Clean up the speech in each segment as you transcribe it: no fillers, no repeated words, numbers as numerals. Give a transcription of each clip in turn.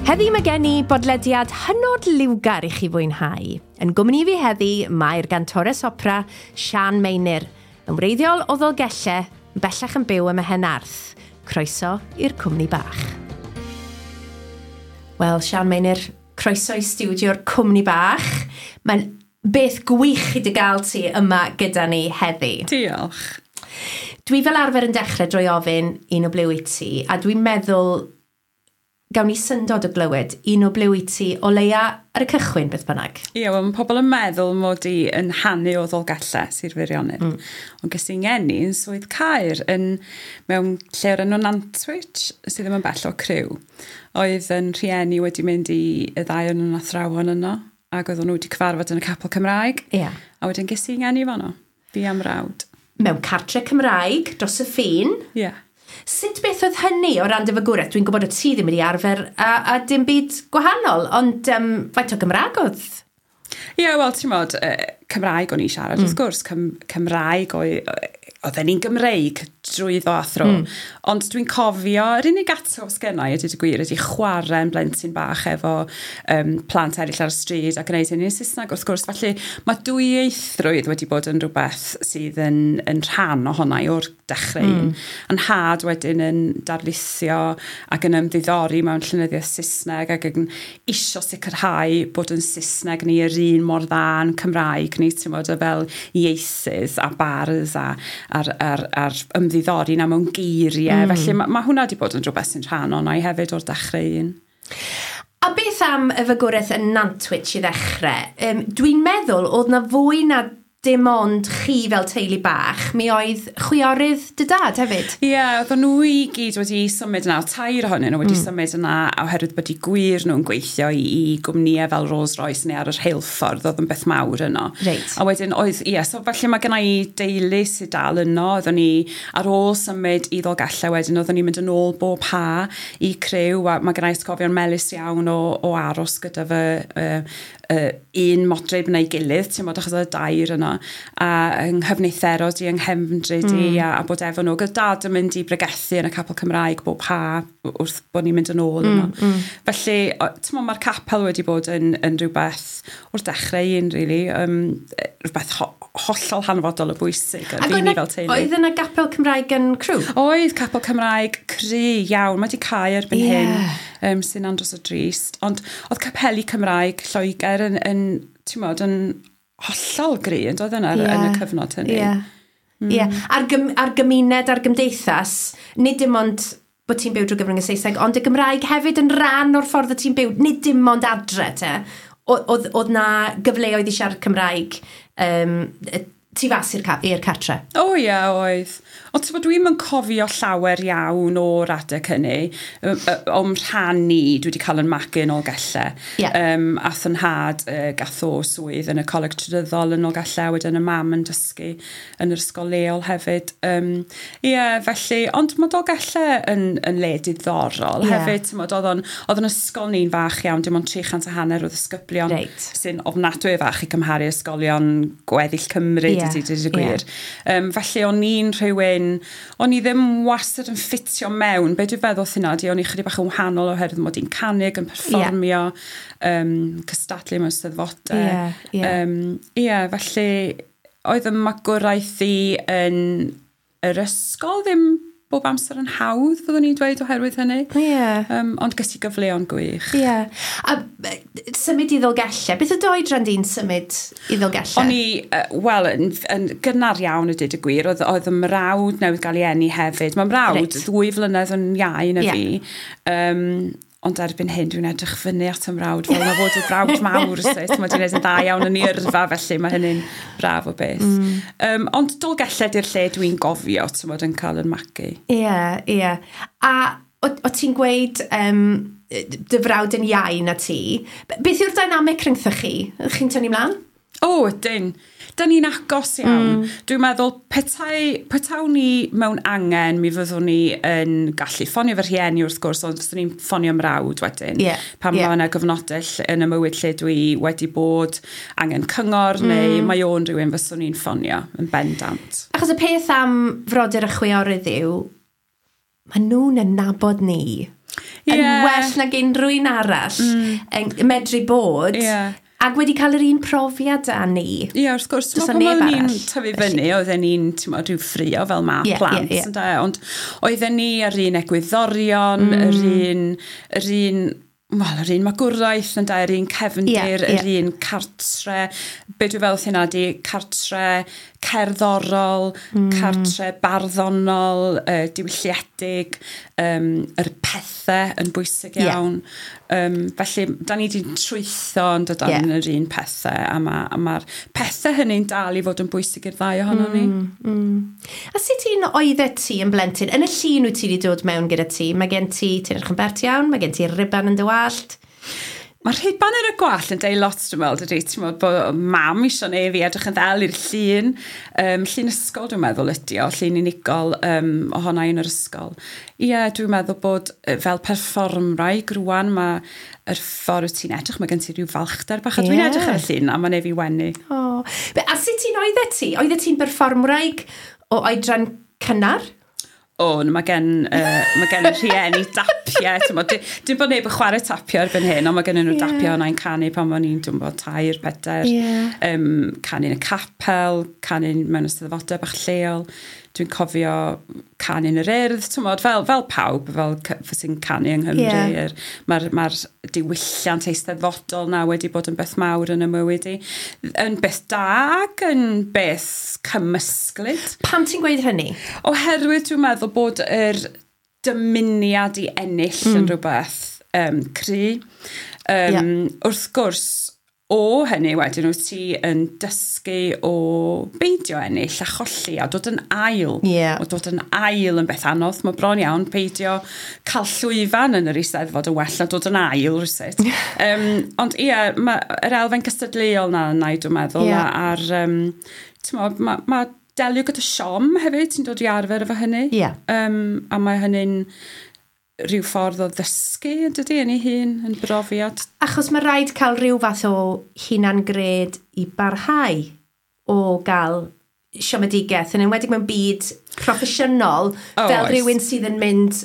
Heddi mae gen i bodlediad hynod liwgar i chi fwynhau. Yn gwmni fi heddi mae'r gantores opera Sian Meinir, yn wreiddiol o Ddolgellau, bellach yn byw ym Mhenarth. Croeso i'r cwmni bach. Wel, Sian Meinir, croeso i stiwdio'r cwmni bach. Mae'n beth gwych i dy gael ti yma gyda ni heddi. Diolch. Dwi fel arfer yn dechrau drwy ofyn un o ble wyt ti, a dwi'n meddwl gawn ni syndod o glywed un o ble wyt ti o leia ar y cychwyn beth bynnag. Ie, wel, mae pobl yn meddwl mod i yn hanu o Ddolgellau, Sir Feirionnydd. Ond ges i'n ngeni yn Swydd Caer, mewn lle o'r enw Nantwich, sydd ddim yn bell o Crewe. Oedd yn rhieni wedi mynd i y ddau o'n nhw'n athrawon yno, ac oedden nhw wedi cyfarfod yn y capel Cymraeg. A wedyn ges i'n ngeni fanno, fi a'm mrawd. Mewn cartre Cymraeg, dros y ffin. Ie. Yeah. Sut beth oedd hynny o ran dy fagwraeth? Dwi'n gwybod o ti ddim wedi arfer a dim byd gwahanol, ond faint o Gymraeg oedd? Ie, yeah, wel, ti'n modd, Cymraeg o'n i siarad, wrth gwrs, Cymraeg oedden ni'n Gymreig drwyddo a thro. Ond dwi'n cofio, yr unig atgof sgennai, ydy gwir, ydy chwarae'n blentyn bach efo plant eraill ar y stryd a gwneud hynny yn Saesneg, wrth gwrs. Felly mae dwyieithrwydd wedi bod yn rhywbeth sydd yn rhan ohona i o'r dechrau un. A'n nhad wedyn yn darlithio ac yn ymddiddori mewn llenyddiaeth Saesneg ac yn isio sicrhau bod yn Saesneg ni yr un mor dda yn Cymraeg ni, ti'n modd, fel ieithydd a bardd a'r ymddiddori na mewn geiriau. Felly mae hwnna wedi bod yn rhywbeth sy'n rhan o'na i hefyd o'r dechrau un. A beth am y fagwraeth yn Nantwich i ddechrau? Dwi'n meddwl oedd na fwy na dim ond chi fel teulu bach, mi oedd chwiorydd dy dad hefyd. Ie, yeah, oedden nhw i gyd wedi symud yna, tair ohonyn nhw wedi symud yna oherwydd bod eu gwŷr nhw'n gweithio i gwmnïau fel Rolls-Royce neu ar y rheilffordd, oedd yn beth mawr yno. Reit. A wedyn oedd, ie, so felly mae genna i deulu sydd dal yno, oedden ni ar ôl symud i Ddolgellau wedyn, oedden ni'n mynd yn ôl bob ha i Crewe, a mae genna i atgofion melys iawn o aros gyda fy un modryb neu gilydd, ti'n modd, achos oedd y dair yno, a yng nghyfneitherod i, yng nghefndryd i, a bod efo nhw. Gyda dad yn mynd i bregethu yn y capel Cymraeg bob ha wrth bod ni'n mynd yn ôl yno. Felly, ti'n modd, mae'r capel wedi bod yn rhywbeth o'r dechrau un, really, rhywbeth hollol hanfodol o bwysig yn fi ni fel teulu. Oedd yna gapel Cymraeg yn Crewe? Oedd capel Cymraeg cry iawn. Mae wedi cau erbyn hyn, sy'n andros o drist. Ond oedd capeli Cymraeg Lloegr yn ti'n modd, yn hollol gry, yn doedd yna yn y cyfnod hynny. Ie. A'r gymuned a'r gymdeithas, nid dim ond bod ti'n byw drwy gyfrwng y Saesneg, ond y Gymraeg hefyd yn rhan o'r ffordd y ti'n byw, nid dim ond adre te. Oedd na gyfleoedd i siarad Cymraeg tu fas i'r cartre? O ie, oedd. Ond ti'n bod, dwi'm yn cofio llawer iawn o'r adeg hynny. O'm rhan ni, dwi wedi cael yn magu yn Nolgellau. Ath yn nhad gath o swydd yn y coleg trydyddol yn Nolgellau, wedyn y mam yn dysgu yn yr ysgol leol hefyd. Ie, felly, ond mae Dolgellau yn le diddorol hefyd. Ti'n bod, oedd o'n ysgol ni'n fach iawn, dim ond 350 o ddisgyblion, sy'n ofnadwy fach i cymharu ysgolion gweddill Cymru, dweud y gwir. Felly o'n i'n rhywun, o'n i ddim wastad yn ffitio mewn. Be dwi'n feddwl hynna, o'n i chydig bach yn wahanol oherwydd mod i'n canu yn perfformio, cystadlu mewn steddfodau. Felly oedd y magwraeth i yn yr ysgol ddim bob amser yn hawdd, fyddwn i'n dweud, oherwydd hynny. Ond ges i gyfleon gwych. A symud i Ddolgellau, beth oedd oedran di'n symud i Ddolgellau? O'n i, wel, yn gynnar iawn y dweud y gwir, oedd y mrawd newydd gael ei eni hefyd. Mae mrawd 2 flynedd yn iau na fi. Ond erbyn hyn, dwi'n edrych fyny at y mrawd, fel na fod y brawd mawr, sut. Mae wedi gwneud yn dda iawn yn ei yrfa, felly mae hynny'n braf o beth. Ond Dolgellau di'r lle dwi'n gofio, ti'n modd, yn cael yn magu. Ie, ie. A o ti'n gweud dy frawd yn iau na ti, beth yw'r dynamic rhyngthoch chi? Chi'n tynnu mlaen? O, ydyn. Da ni'n agos iawn. Dwi'n meddwl, petawn ni mewn angen, mi fyddwn ni yn gallu ffonio fy rhieni wrth gwrs, ond fyswn ni'n ffonio mrawd wedyn. Pan mae yna gyfnodau yn y mywyd lle dwi wedi bod angen cyngor, neu mae o'n rhywun fyswn ni'n ffonio yn bendant. Achos y peth am frodyr a chwiorydd yw, maen nhw'n nabod ni. yn well nag unrhyw un arall yn medru bod. Ac wedi cael yr un profiad â ni. Ie, wrth gwrs. Pan oedden ni'n tyfu fyny, oedden ni'n rhyw ffrio fel ma plant. Ond oedden ni yr un egwyddorion, yr un wel, yr un magwraeth, ynde, yr un cefndir, yr un cartre. Be dwi'n fel hynna di cartre cerddorol, cartre barddonol, diwylliedig, yr pethau yn bwysig iawn. Felly, da ni wedi trwytho yn dod yn yr un pethau, a mae'r pethau hynny'n dal i fod yn bwysig i'r ddau ohono ni. A sut un oeddet ti yn blentyn? Yn y llun wyt ti wedi dod mewn gyda ti, mae gen ti, ti'n edrych yn bert iawn, mae gen ti riban yn dy wallt. Mae'r rhuban yn y gwallt yn deud lot, dwi'n meddwl, dydy. Ti'n meddwl bod mam eisiau neu fi edrych yn ddel i'r llun. Llun ysgol, dwi'n meddwl, ydi o, llun unigol ohona i yn yr ysgol. Ie, dwi'n meddwl bod fel perfformwraig rwan, mae yr ffordd wyt ti'n edrych, mae gen ti rhyw falchder bach. A dwi'n edrych ar y llun a mae'n ei fi wenu. Oh. A sut ti'n oeddet ti? Oeddet ti'n berfformwraig o oedran cynnar? O, mae gen rhieni dapiau. Dim bod neb yn chwarae tapio erbyn hyn, ond mae gen nhw dapiau o'na i'n canu pan o'n i'n, dwi'n bod, 3, 4. Canu yn y capel, canu mewn eisteddfodau bach lleol. Dwi'n cofio canu yn yr Urdd, ti'n bod, fel pawb, fel sy'n canu yng Nghymru. Mae'r diwylliant eisteddfodol na wedi bod yn beth mawr yn y mywyd i. Yn beth da ac yn beth cymysglyd. Pam ti'n gweud hynny? Oherwydd dwi'n meddwl bod yr dymuniad i ennill yn rhywbeth cry. Wrth gwrs, o hynny wedyn wyt ti yn dysgu o beidio ennill a cholli a dod yn ail. O dod yn ail yn beth anodd. Mae bron iawn peidio cael llwyfan yn yr Eisteddfod yn well na dod yn ail rywsut. Ond ie, mae'r elfen gystadleuol na yna, dwi'n meddwl. A'r, ti'n mae delio gyda siom hefyd, ti'n dod i arfer efo hynny. A mae hynny'n rhyw ffordd o ddysgu, yn dydy, yn ei hun, yn brofiad. Achos mae rhaid cael rhyw fath o hunan-gred i barhau o gael siomedigaeth, yn enwedig mewn byd proffesiynol, fel rhywun sydd yn mynd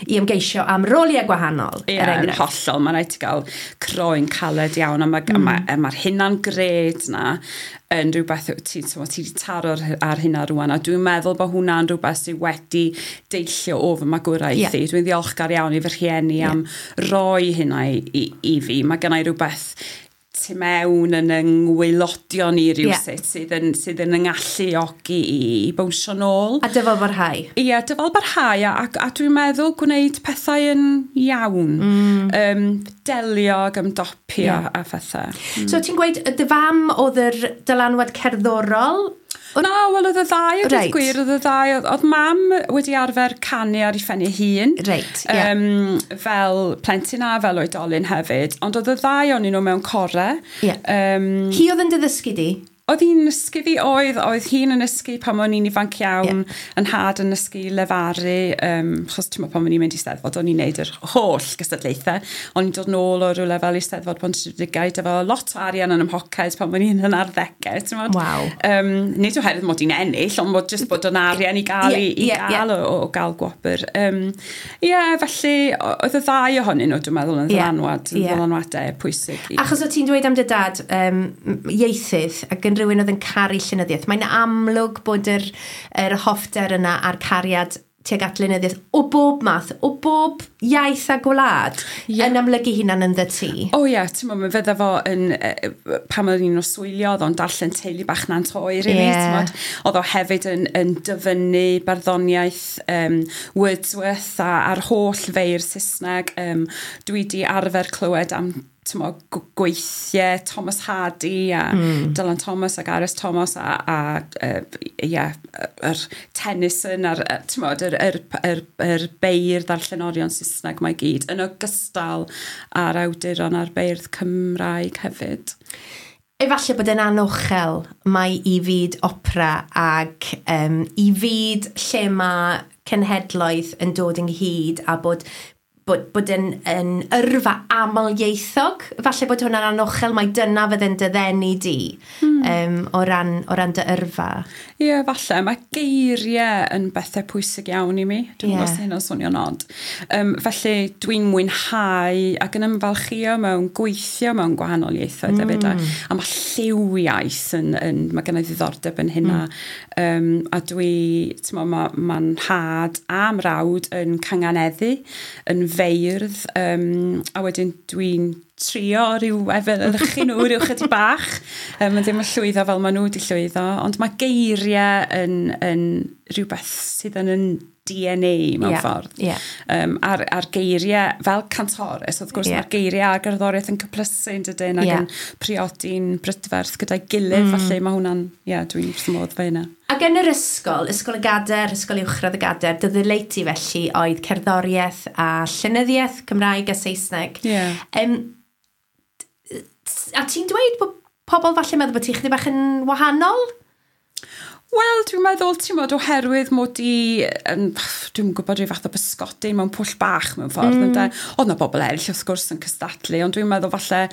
i ymgeisio am roliau gwahanol. Ie, yn hollol. Mae'n rhaid ti gael croen caled iawn, a mae'r hunan-gred na yn rhywbeth ti wedi taro ar hynna rwan, a dwi'n meddwl bod hwnna'n rhywbeth sydd wedi deillio o fy magwraeth i. Dwi'n ddiolchgar iawn i fy rhieni am roi hynna i fi. Mae gennai rhywbeth tu mewn yn yngwaelodion i rywsut sydd yn yngalluogi i bownsio nôl. A dyfal barhau. Ie, dyfal barhau, a dwi'n meddwl gwneud pethau yn iawn. Delio ac ymdopio a phethau. So ti'n gweud, dy fam oedd yr dylanwad cerddorol? Na, wel, oedd y ddau, oedd gwir, oedd y ddau. Oedd mam wedi arfer canu ar ei phen ei hun. Fel plentyn a fel oedolyn hefyd. Ond oedd y ddau o'n nhw mewn core. Hi oedd yn dy ddysgu di? Oedd hi'n nysgu fi, oedd hi'n yn nysgu pan o'n i'n ifanc iawn, yn nhad yn nysgu lefaru, achos ti'n meddwl pan o'n i'n mynd i Steddfod, o'n i'n neud yr holl gystadlaethau. O'n i'n dod nôl o rywle fel Eisteddfod Pontrhydygaid efo lot o arian yn 'y mhoced pan o'n i'n yn arddegau, ti'n meddwl? Wow. Nid oherwydd mod i'n ennill, ond mod jyst bod yn arian i gael gael o gael gwobr. Felly oedd y ddau ohonyn nhw, dwi'n meddwl, yn ddylanwad, yn ddylanwadau pwysig. Achos o ti'n dweud am dy dad, ieithydd, ac yn rhywun oedd yn caru llenyddiaeth. Mae'n amlwg bod yr hoffter yna a'r cariad tuag at lenyddiaeth o bob math, o bob iaith a gwlad, yn amlygu hunan ynddo ti. O ie, ti'n meddwl, fydda fo yn, pan oedd un o swylio, oedd o'n darllen Teulu Bach Nant Oer i fi, ti'n meddwl. Oedd o hefyd yn dyfynnu barddoniaeth Wordsworth a'r holl feirdd Saesneg. Dwi di arfer clywed am gweithiau Thomas Hardy a Dylan Thomas ac R.S. Thomas a yr Tennyson a'r yr beirdd a'r llenorion Saesneg mae gyd, yn ogystal â'r awduron a'r beirdd Cymraeg hefyd. Efallai bod yn anochel mae i fyd opera ac i fyd lle mae cenhedloedd yn dod ynghyd a bod bod yn yrfa amlieithog. Falle bod hwnna'n anochel, mae dyna fydde'n dy ddenu di o ran dy yrfa. Ie, yeah, falle. Mae geiriau yn bethau pwysig iawn i mi. Dwi'n gwybod os hynna'n swnio'n od. Felly dwi'n mwynhau ac yn ymfalchïo mewn gweithio mewn gwahanol ieithoedd hefyd. A mae lliwiaeth mae gen i ddiddordeb yn hynna. A dwi, ti'n mo, mae'n nhad a mrawd yn cynganeddu, yn feirdd, a wedyn dwi'n trio rhyw efelychu nhw rhyw chydig bach. Mae'n ddim yn llwyddo fel maen nhw wedi llwyddo, ond mae geiriau yn rhywbeth sydd yn DNA mewn ffordd. Yeah. A'r geiriau, fel cantores, wrth gwrs, mae'r geiriau a'r gerddoriaeth yn cyplysu yn dydyn ac yn priodi'n brydferth gyda'i gilydd, felly mae hwnna'n, dwi'n wrth fy modd fe hynna. Ac yn yr ysgol, Ysgol y Gader, Ysgol Uwchradd y Gader, dy ddileit ti felly oedd cerddoriaeth a llenyddiaeth Cymraeg a Saesneg. Yeah. A ti'n dweud bod pobl falle meddwl bod ti chydig bach yn wahanol? Wel, dwi'n meddwl, ti'n modd, oherwydd mod i, dwi'n gwybod rhyw fath o bysgodyn mewn pwll bach mewn ffordd. Oedd na bobl eraill wrth gwrs yn cystadlu, ond dwi'n meddwl falle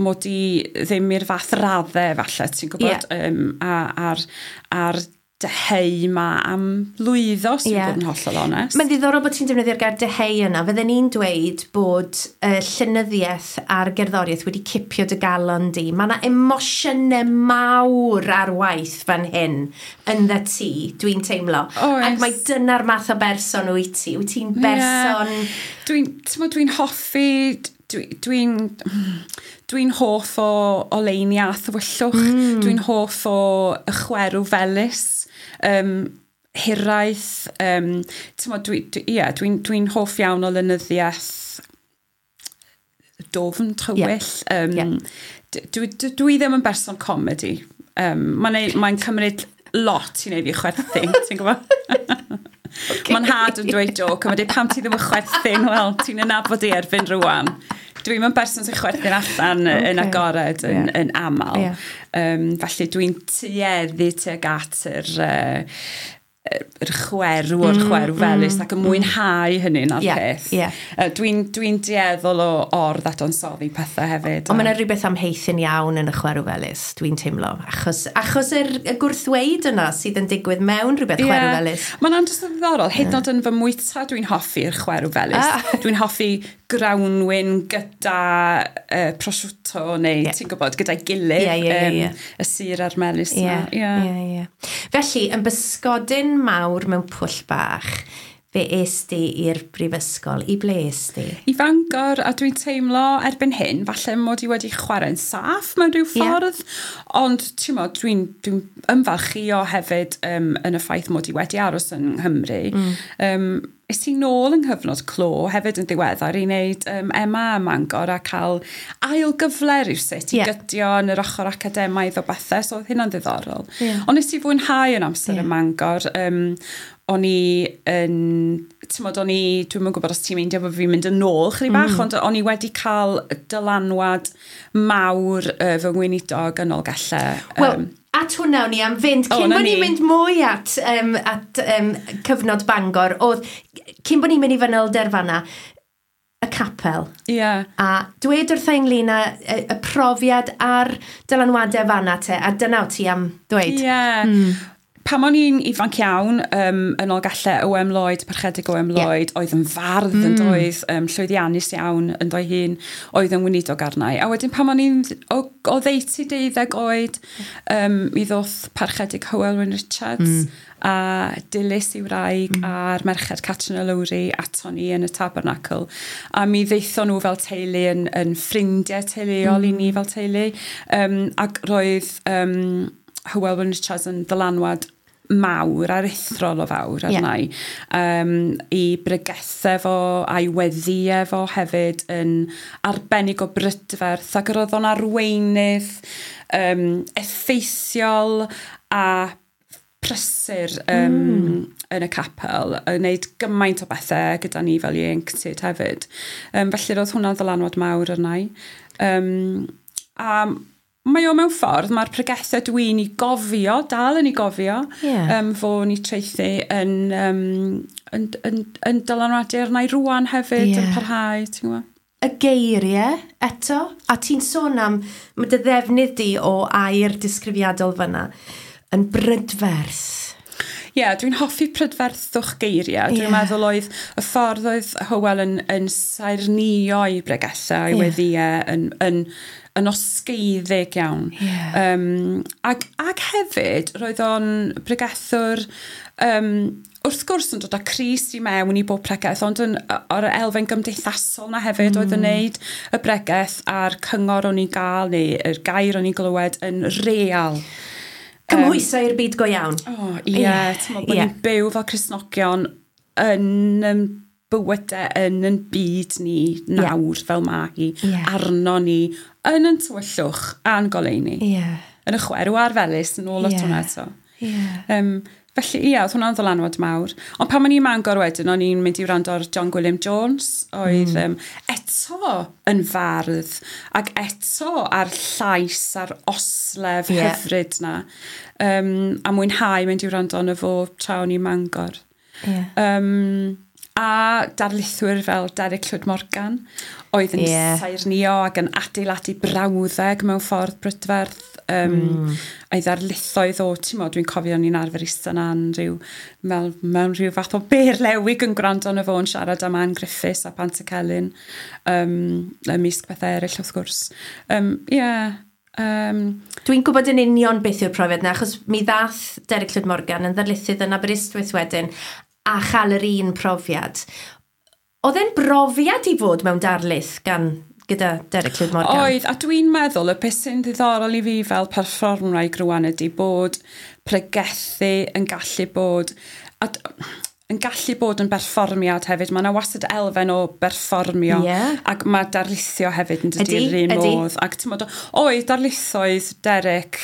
mod i ddim i'r fath raddau falle, ti'n gwybod, a'r dyheu ma am lwyddo, os dwi'n bod yn hollol onest. Mae'n ddiddorol bod ti'n defnyddio'r gair dyheu yna. Fydden ni'n dweud bod llenyddiaeth a'r gerddoriaeth wedi cipio dy galon di. Mae yna emosiynau mawr ar waith fan hyn ynddo ti, dwi'n teimlo. Oes. Ac mae dyna'r math o berson wyt ti. Wyt ti'n berson... Dwi'n hoffi... Dwi'n hoff o oleuni a thywyllwch. Dwi'n hoff o y chwerw felys, hiraeth. Dwi'n hoff iawn o lenyddiaeth dofn, tywyll. Dwi ddim yn berson comedi. Mae'n cymryd lot i wneud fi chwerthin, ti'n gwybod? Okay. Mae'n nhad yn dweud joke, a mae'n dweud pam ti ddim yn chwerthin, wel, ti'n nabod i erbyn rwan. Dwi'n yn berson sy'n chwerthin allan yn agored yn aml. Yeah. Felly dwi'n tueddu tuag at yr chwerw o'r chwerw felys ac yn mwynhau hynny na'r peth. Yeah. Dwi'n dueddol o or-ddadansoddi pethau hefyd. Ond mae yna rhywbeth amheuthun iawn yn y chwerw felys, dwi'n teimlo. Achos y gwrthweud yna sydd yn digwydd mewn rhywbeth chwerw felys. Mae'n andros o ddiddorol. Hyd yn oed yn fy mwyta dwi'n hoffi'r chwerw felys. Dwi'n hoffi grawnwin gyda prosciutto neu ti'n gwybod, gyda'i gilydd. Y sur a'r melys yna. Felly, yn bysgodyn mawr mewn pwll bach, fe es di i'r brifysgol. I ble es di? I Fangor, a dwi'n teimlo erbyn hyn, falle mod i wedi chwarae'n saff mewn rhyw ffordd, ond ti'n mo, dwi'n ymfalchïo hefyd yn y ffaith mod i wedi aros yng Nghymru. Es i nôl yng nghyfnod clo hefyd yn ddiweddar i wneud MA ym Mangor a cael ail gyfle rywsut i gydio yn yr ochr academaidd o bethau, so oedd hynna'n ddiddorol. Ond nes i fwynhau yn amser ym Mangor. O'n i yn, ti'n modd, dwi'm yn gwybod os ti'n meindio bod fi'n mynd yn ôl chydig bach, ond o'n i wedi cael dylanwad mawr fy ngweinidog yn Nolgellau. Wel, at hwnna o'n i am fynd, cyn bod ni'n mynd mwy at cyfnod Bangor, oedd, cyn bod ni'n mynd i fanylder fanna, y capel. Yeah. A dweud wrtha ynglyn â y profiad a'r dylanwadau fanna te, a dyna o ti am dweud. Ie. Pan o'n i'n ifanc iawn, yn Nolgellau, O.M. Lloyd, Parchedig O.M. Lloyd, oedd yn fardd yn doedd, llwyddiannus iawn yn doedd hun, oedd yn weinidog arna i. A wedyn pan o'n i'n oddeutu 12 oed, mi ddoth Parchedig Hywel Wyn Richards a Dilys i wraig a'r merched Catrin a Lowry aton ni yn y Tabernacl. A mi ddeithon nhw fel teulu yn ffrindiau teuluol i ni fel teulu. Ac roedd Hywel Wyn Richards yn ddylanwad mawr, aruthrol o fawr arna i. I bregethau fo a'i weddïau fo hefyd yn arbennig o brydferth, ac roedd o'n arweinydd effeithiol a prysur yn y capel, yn gwneud gymaint o bethau gyda ni fel ieuenctid hefyd. Felly roedd hwnna'n ddylanwad mawr arna i. A Mae o mewn ffordd, mae'r pregethau dwi'n ei gofio, dal yn ei gofio, fo'n ei traethu yn dylanwadu arna i rwan hefyd, yn parhau, ti'n gwybod? Y geiriau eto, a ti'n sôn am, mae dy ddefnydd di o air disgrifiadol fyna, yn brydferth. Ie, yeah, dwi'n hoffi prydferthwch geiriau. Dwi'n meddwl oedd y ffordd oedd Hywel yn saernïo i bregethau, i weddïau, yn osgeiddig iawn. Ac hefyd, roedd o'n bregethwr, wrth gwrs yn dod â Crist i mewn i bob pregeth, ond o'r elfen gymdeithasol na hefyd oedd yn neud y bregeth a'r cyngor o'n i'n gael neu yr gair o'n i'n glywed yn real. Cymhwyso i'r byd go iawn. O, ie. Ti'n meddwl bod ni'n byw fel Cristnogion yn bywydau yn byd ni nawr fel mae hi, arno ni, yn yn tywyllwch a'n goleuni. Yn y chwerw a'r felys, yn ôl at hwnna eto. Felly, ie, oedd hwnna'n ddylanwad mawr. Ond pan o'n i'n Mangor wedyn, o'n i'n mynd i wrando ar John Gwilym Jones, oedd eto yn fardd, ac eto ar llais, a'r oslef hyfryd na. A mwynhau mynd i wrando arno fo tra o'n i'n Mangor. A darlithwyr fel Derek Llwyd Morgan, oedd yn saernïo ac yn adeiladu brawddeg mewn ffordd brydferth. A'i ddarlithoedd o, ti'n mo, dwi'n cofio o'n i'n arfer eistedd yna'n rhyw, mewn rhyw fath o berlewig yn gwrando arno fo yn siarad am Ann Griffiths a Pantycelyn, ymysg pethau eraill wrth gwrs. Dwi'n gwybod yn union beth yw'r profiad yna, achos mi ddath Derek Llwyd Morgan yn ddarlithydd yn Aberystwyth wedyn, a chael yr un profiad. Oedd e'n brofiad i fod mewn darlith gyda Derek Llwyd Morgan? Oedd, a dwi'n meddwl y peth sy'n ddiddorol i fi fel perfformwraig rwan ydy bod pregethu yn gallu bod, yn gallu bod yn berfformiad hefyd. Mae yna wastad elfen o berfformio. Ac mae darlithio hefyd yn dydy yr un modd. Ac ti'n meddwl, oedd darlithoedd Derek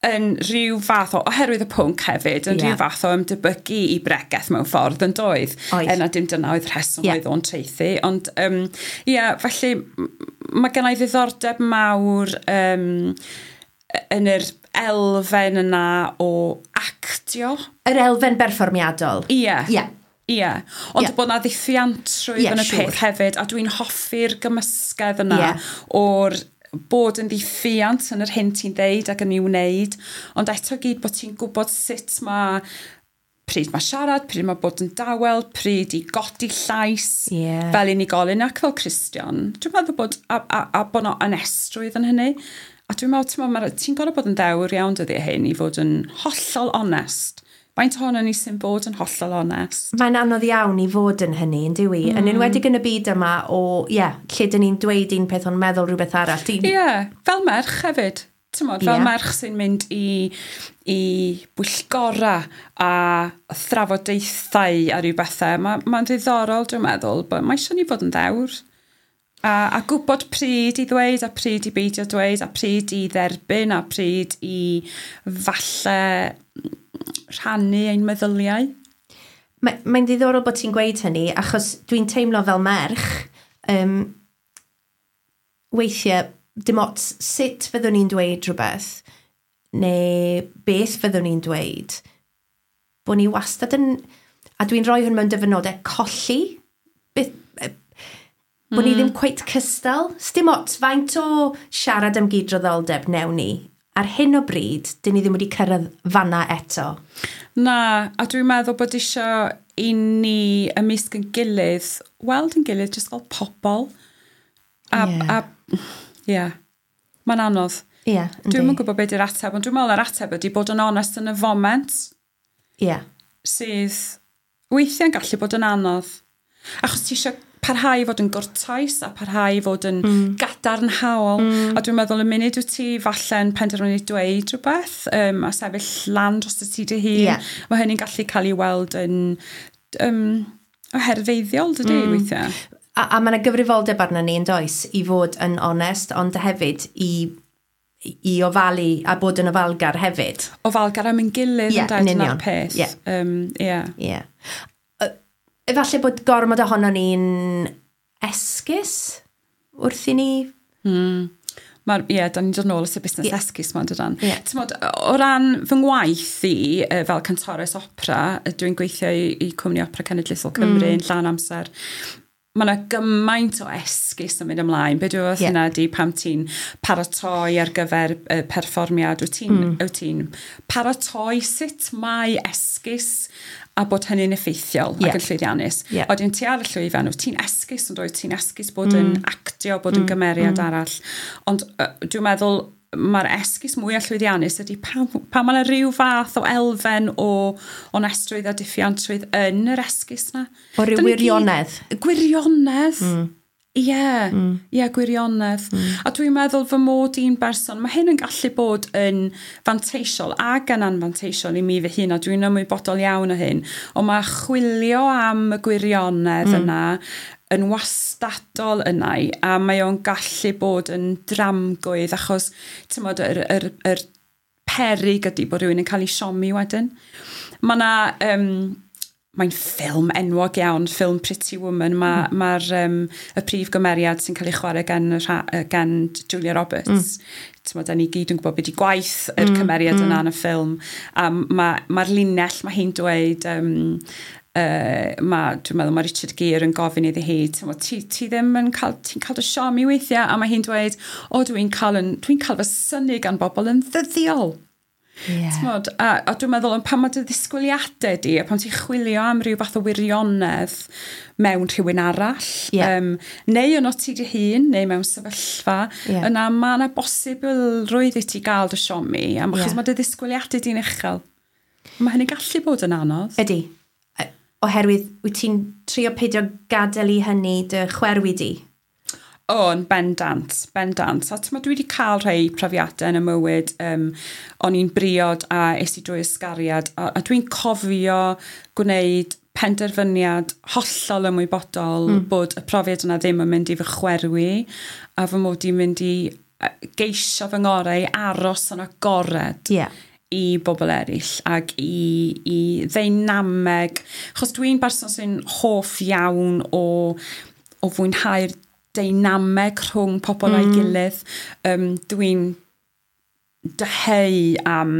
yn rhyw fath o, oherwydd y pwnc hefyd, yn rhyw fath o ymdebygu i bregeth mewn ffordd yn doedd. Er na dim dyna oedd rheswm oedd o'n traethu. Ond, felly mae gen i ddiddordeb mawr yn yr elfen yna o actio. Yr elfen berfformiadol. Ie. Ie. Ond bod na ddiffiantrwydd yn y peth hefyd, a dwi'n hoffi'r gymysgedd yna o'r bod yn ddiffiant yn yr hyn ti'n ddeud ac yn ei wneud, ond eto gyd bod ti'n gwybod sut mae, pryd mae siarad, pryd mae bod yn dawel, pryd i godi llais fel unigolyn ac fel Cristion. Dwi'n meddwl bod, a bod 'na onestrwydd yn hynny. A dwi'n meddwl, ti'n gorfod bod yn ddewr iawn dyddiau hyn i fod yn hollol onest. Faint ohono ni sy'n bod yn hollol onest? Mae'n anodd iawn i fod yn hynny, yn dyw i? Yn enwedig yn y byd yma o, lle dyn ni'n dweud un peth ond meddwl rhywbeth arall. Ie, fel merch hefyd. T'mod, fel merch sy'n mynd i bwyllgora a thrafodaethau a rhyw bethau. Mae'n ddiddorol, dwi'n meddwl, but mae eisiau ni fod yn ddewr. A gwybod pryd i ddweud a pryd i beidio dweud a pryd i dderbyn a pryd i falle rhannu ein meddyliau. Mae'n ddiddorol bod ti'n gweud hynny, achos dwi'n teimlo fel merch, weithiau, dim ots sut fyddwn ni'n dweud rhywbeth, neu beth fyddwn ni'n dweud, bod ni wastad yn, a dwi'n rhoi hwn mewn dyfynodau, colli, beth, bod ni ddim cweit cystal. Dim ots, faint o siarad am gydraddoldeb newn ni. Ar hyn o bryd, dyn ni ddim wedi cyrraedd fanna eto. Na, a dwi'n meddwl bod eisiau i ni ymysg yn gilydd, weld yn gilydd, jyst fel pobl. Mae'n anodd. Ie, Dwi'm yn gwybod beth yw'r ateb, ond dwi'n meddwl yr ateb ydy bod yn onest yn y foment. Ie. Sydd weithiau'n gallu bod yn anodd. Achos ti eisiau parhau i fod yn gwrtais a parhau i fod yn gadarnhaol. A dwi'n meddwl y munud wyt ti falle'n penderfynu dweud rhywbeth a sefyll lan dros y ti dy hun, mae hynny'n gallu cael ei weld yn oherfeiddiol, dydy, weithiau. A mae yna gyfrifoldeb arno ni yn does i fod yn onest, ond hefyd i ofalu a bod yn ofalgar hefyd. Ofalgar am ein gilydd yn dweud yna'r peth. Ie. Efallai bod gormod ohono ni'n esgus wrth i ni? Ie, da ni'n dod nôl at y busnes esgus ma'n dydan. Yeah. T'mod, o ran fy ngwaith i, fel cantores opera, dwi'n gweithio i Cwmni Opera Cenedlaethol Cymru yn llawn amser. Mae yna gymaint o esgus yn mynd ymlaen. Be dwi'n meddwl yna ydy pam ti'n paratoi ar gyfer perfformiad, wyt ti'n wyt ti'n paratoi sut mae esgus a bod hynny'n effeithiol ac yn llwyddiannus. Wedyn ti ar y llwyfan, wyt ti'n esgus yn dweud, ti'n esgus bod yn actio, bod yn gymeriad arall. Ond dwi'n meddwl mae'r esgus mwyaf llwyddiannus ydy pan mae yna rhyw fath o elfen o onestrwydd a diffuantrwydd yn yr esgus na. O ryw wirionedd. Gwirionedd. Ie, ie, gwirionedd. A dwi'n meddwl fy mod i'n berson, mae hyn yn gallu bod yn fanteisiol ac yn anfanteisiol i mi fy hun, a dwi'n ymwybodol iawn o hyn, ond mae chwilio am y gwirionedd yna yn wastadol yna, a mae o'n gallu bod yn dramgwydd, achos, ti'n yr peryg ydy bod rhywun yn cael ei siomi wedyn. Mae yna... Mae'n ffilm enwog iawn, ffilm Pretty Woman. Mae'r ma y prif gymeriad sy'n cael ei chwarae gan Julia Roberts. T'mod, da ni gyd yn gwybod beth i gwaith yr cymeriad yna yn y ffilm. A mae'r linell, mae hi'n dweud, dwi'n meddwl mae Richard Gere yn gofyn iddi hi, t'mod, ti ddim yn cael, ti'n cael dy siomi weithiau, a mae hi'n dweud, o, dwi'n cael fy synnu gan bobl yn ddyddiol. T'mod, a dwi'n meddwl, ond pan mae dy ddisgwyliadau di, a pan ti'n chwilio am ryw fath o wirionedd mewn rhywun arall, neu yno ti dy hun, neu mewn sefyllfa, yna mae yna bosibilrwydd i ti gael dy siomi, achos mae dy ddisgwyliadau di'n uchel. Mae hynny'n gallu bod yn anodd. Ydy. Oherwydd, wyt ti'n trio peidio gadael i hynny dy chwerwi di? O, yn bendant, bendant. A t'mod, dwi wedi cael rhai profiadau yn y mywyd. O'n i'n briod a es i drwy ysgariad. A dwi'n cofio gwneud penderfyniad hollol ymwybodol bod y profiad yna ddim yn mynd i fy chwerwi a fy mod i'n mynd i geisio fy ngorau i aros yn agored. I bobl eraill ac i ddeinameg. Achos dwi'n berson sy'n hoff iawn o fwynhau'r deinameg rhwng pobl a'i gilydd. Dwi'n dyheu am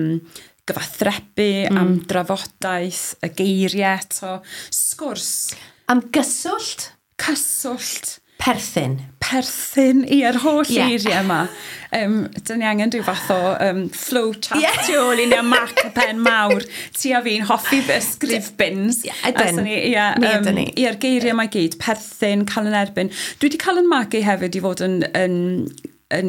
gyfathrebu, am drafodaeth, y geiriau eto, sgwrs. Am gyswllt? Cyswllt. Perthyn. Perthyn, ie'r holl eiriau yma. Dyn ni angen rhyw fath o flow chat tu ôl i ni a Mac y pen mawr. Ti a fi'n hoffi fy ysgrifbins. Ydyn. Mi ydyn ni. Ie'r geiriau yma i gyd, perthyn, cael yn erbyn. Dwi wedi cael yn magu hefyd i fod yn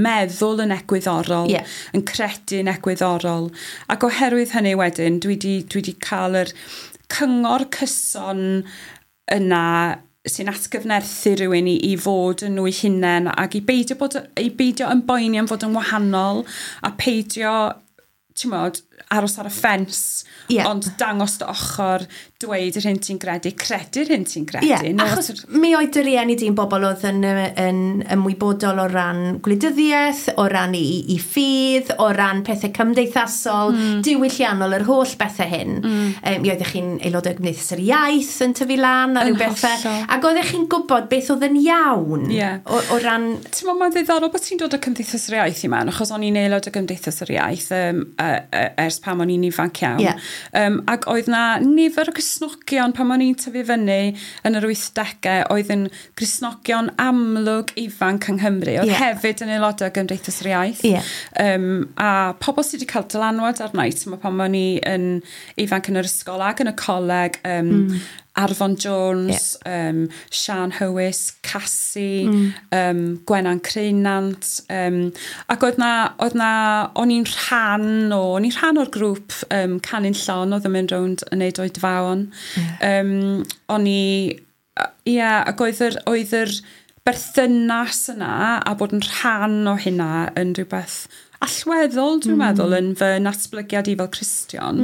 meddwl yn egwyddorol, yn credu yn egwyddorol. Ac oherwydd hynny wedyn, dwi wedi cael yr cyngor cyson yna sy'n atgyfnerthu rhywun i fod yn nhw'i hunain ac i beidio yn boeni am fod yn wahanol a peidio, ti'n aros ar y ffens, ond dangos dy ochr, dweud yr hyn ti'n gredu, credu'r hyn ti'n gredu. Yeah, achos mi oedd dy rieni di'n bobl oedd yn ymwybodol o ran gwleidyddiaeth, o ran i ffydd, o ran pethau cymdeithasol, diwylliannol, yr holl bethau hyn. Mi oeddech chi'n aelodau Gymdeithas yr Iaith yn tyfu lan a rhyw bethau. Ac oeddech chi'n gwybod beth oedd yn iawn o ran... Ti'n meddwl, mae'n ddiddorol bod ti'n dod o Cymdeithas yr Iaith i mewn, achos o'n i'n aelod o Gymdeithas yr Iaith ers pan o'n i'n ifanc iawn. Ac oedd na nifer o Gristnogion pan o'n i'n tyfu fyny yn yr 80au oedd yn Gristnogion amlwg ifanc yng Nghymru. Oedd hefyd yn aelodau o Gymdeithas yr Iaith. A pobl sydd wedi cael dylanwad arna i, ti'n pan o'n i yn ifanc yn yr ysgol ac yn y coleg, Arfon Jones, Sian Hywys, Cassie, Gwenan Creunant, ac oedd na, o'n i'n rhan o'r grŵp Canu'n Llon oedd yn mynd rownd yn neud oedfaon. O'n i, ac oedd yr berthynas yna a bod yn rhan o hynna yn rhywbeth allweddol, dwi'n meddwl, yn fy natblygiad i fel Cristion.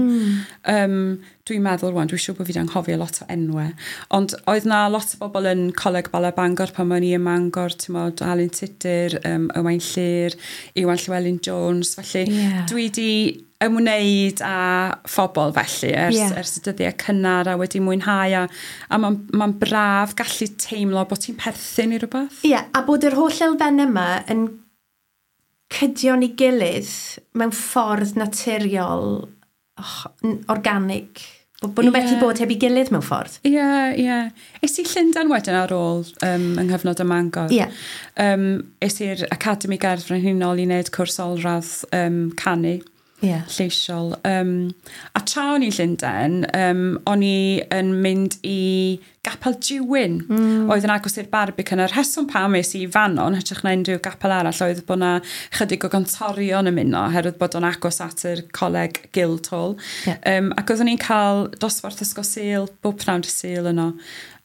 Dwi'n meddwl rwan, dwi'n siŵr bod fi wedi anghofio lot o enwau. Ond oedd na lot o bobl yn Coleg Bala Bangor pan o'n i ym Mangor, ti'n modd, Alun Tudur, Owain Llyr, Iwan Llywelyn Jones. Felly dwi wedi ymwneud â phobl felly ers y dyddiau cynnar a wedi mwynhau a mae'n braf gallu teimlo bod ti'n perthyn i rhywbeth. Ie, a bod yr holl elfen yma yn cydio'n ei gilydd mewn ffordd naturiol, organic. Bod nhw methu bod heb ei gilydd mewn ffordd. Ie, ie. Es i Llundain wedyn ar ôl yng nghyfnod y Mangor. Ie. Es i'r Academi Gerdd Frenhinol i wneud cwrs olradd canu. Yeah. Lleisiol. A tra o'n i'n Llundain, o'n i yn mynd i Gapel Dewin, oedd yn agos i'r Barbican. A'r rheswm pam es i fanno, yn hytrach na unrhyw gapel arall, oedd bod 'na chydig o gantorion yn ymuno, oherwydd bod o'n agos at yr coleg Guildhall. Yeah. Ac oeddwn i'n cael dosbarth ysgol Sul, bob pnawn dy Sul yno.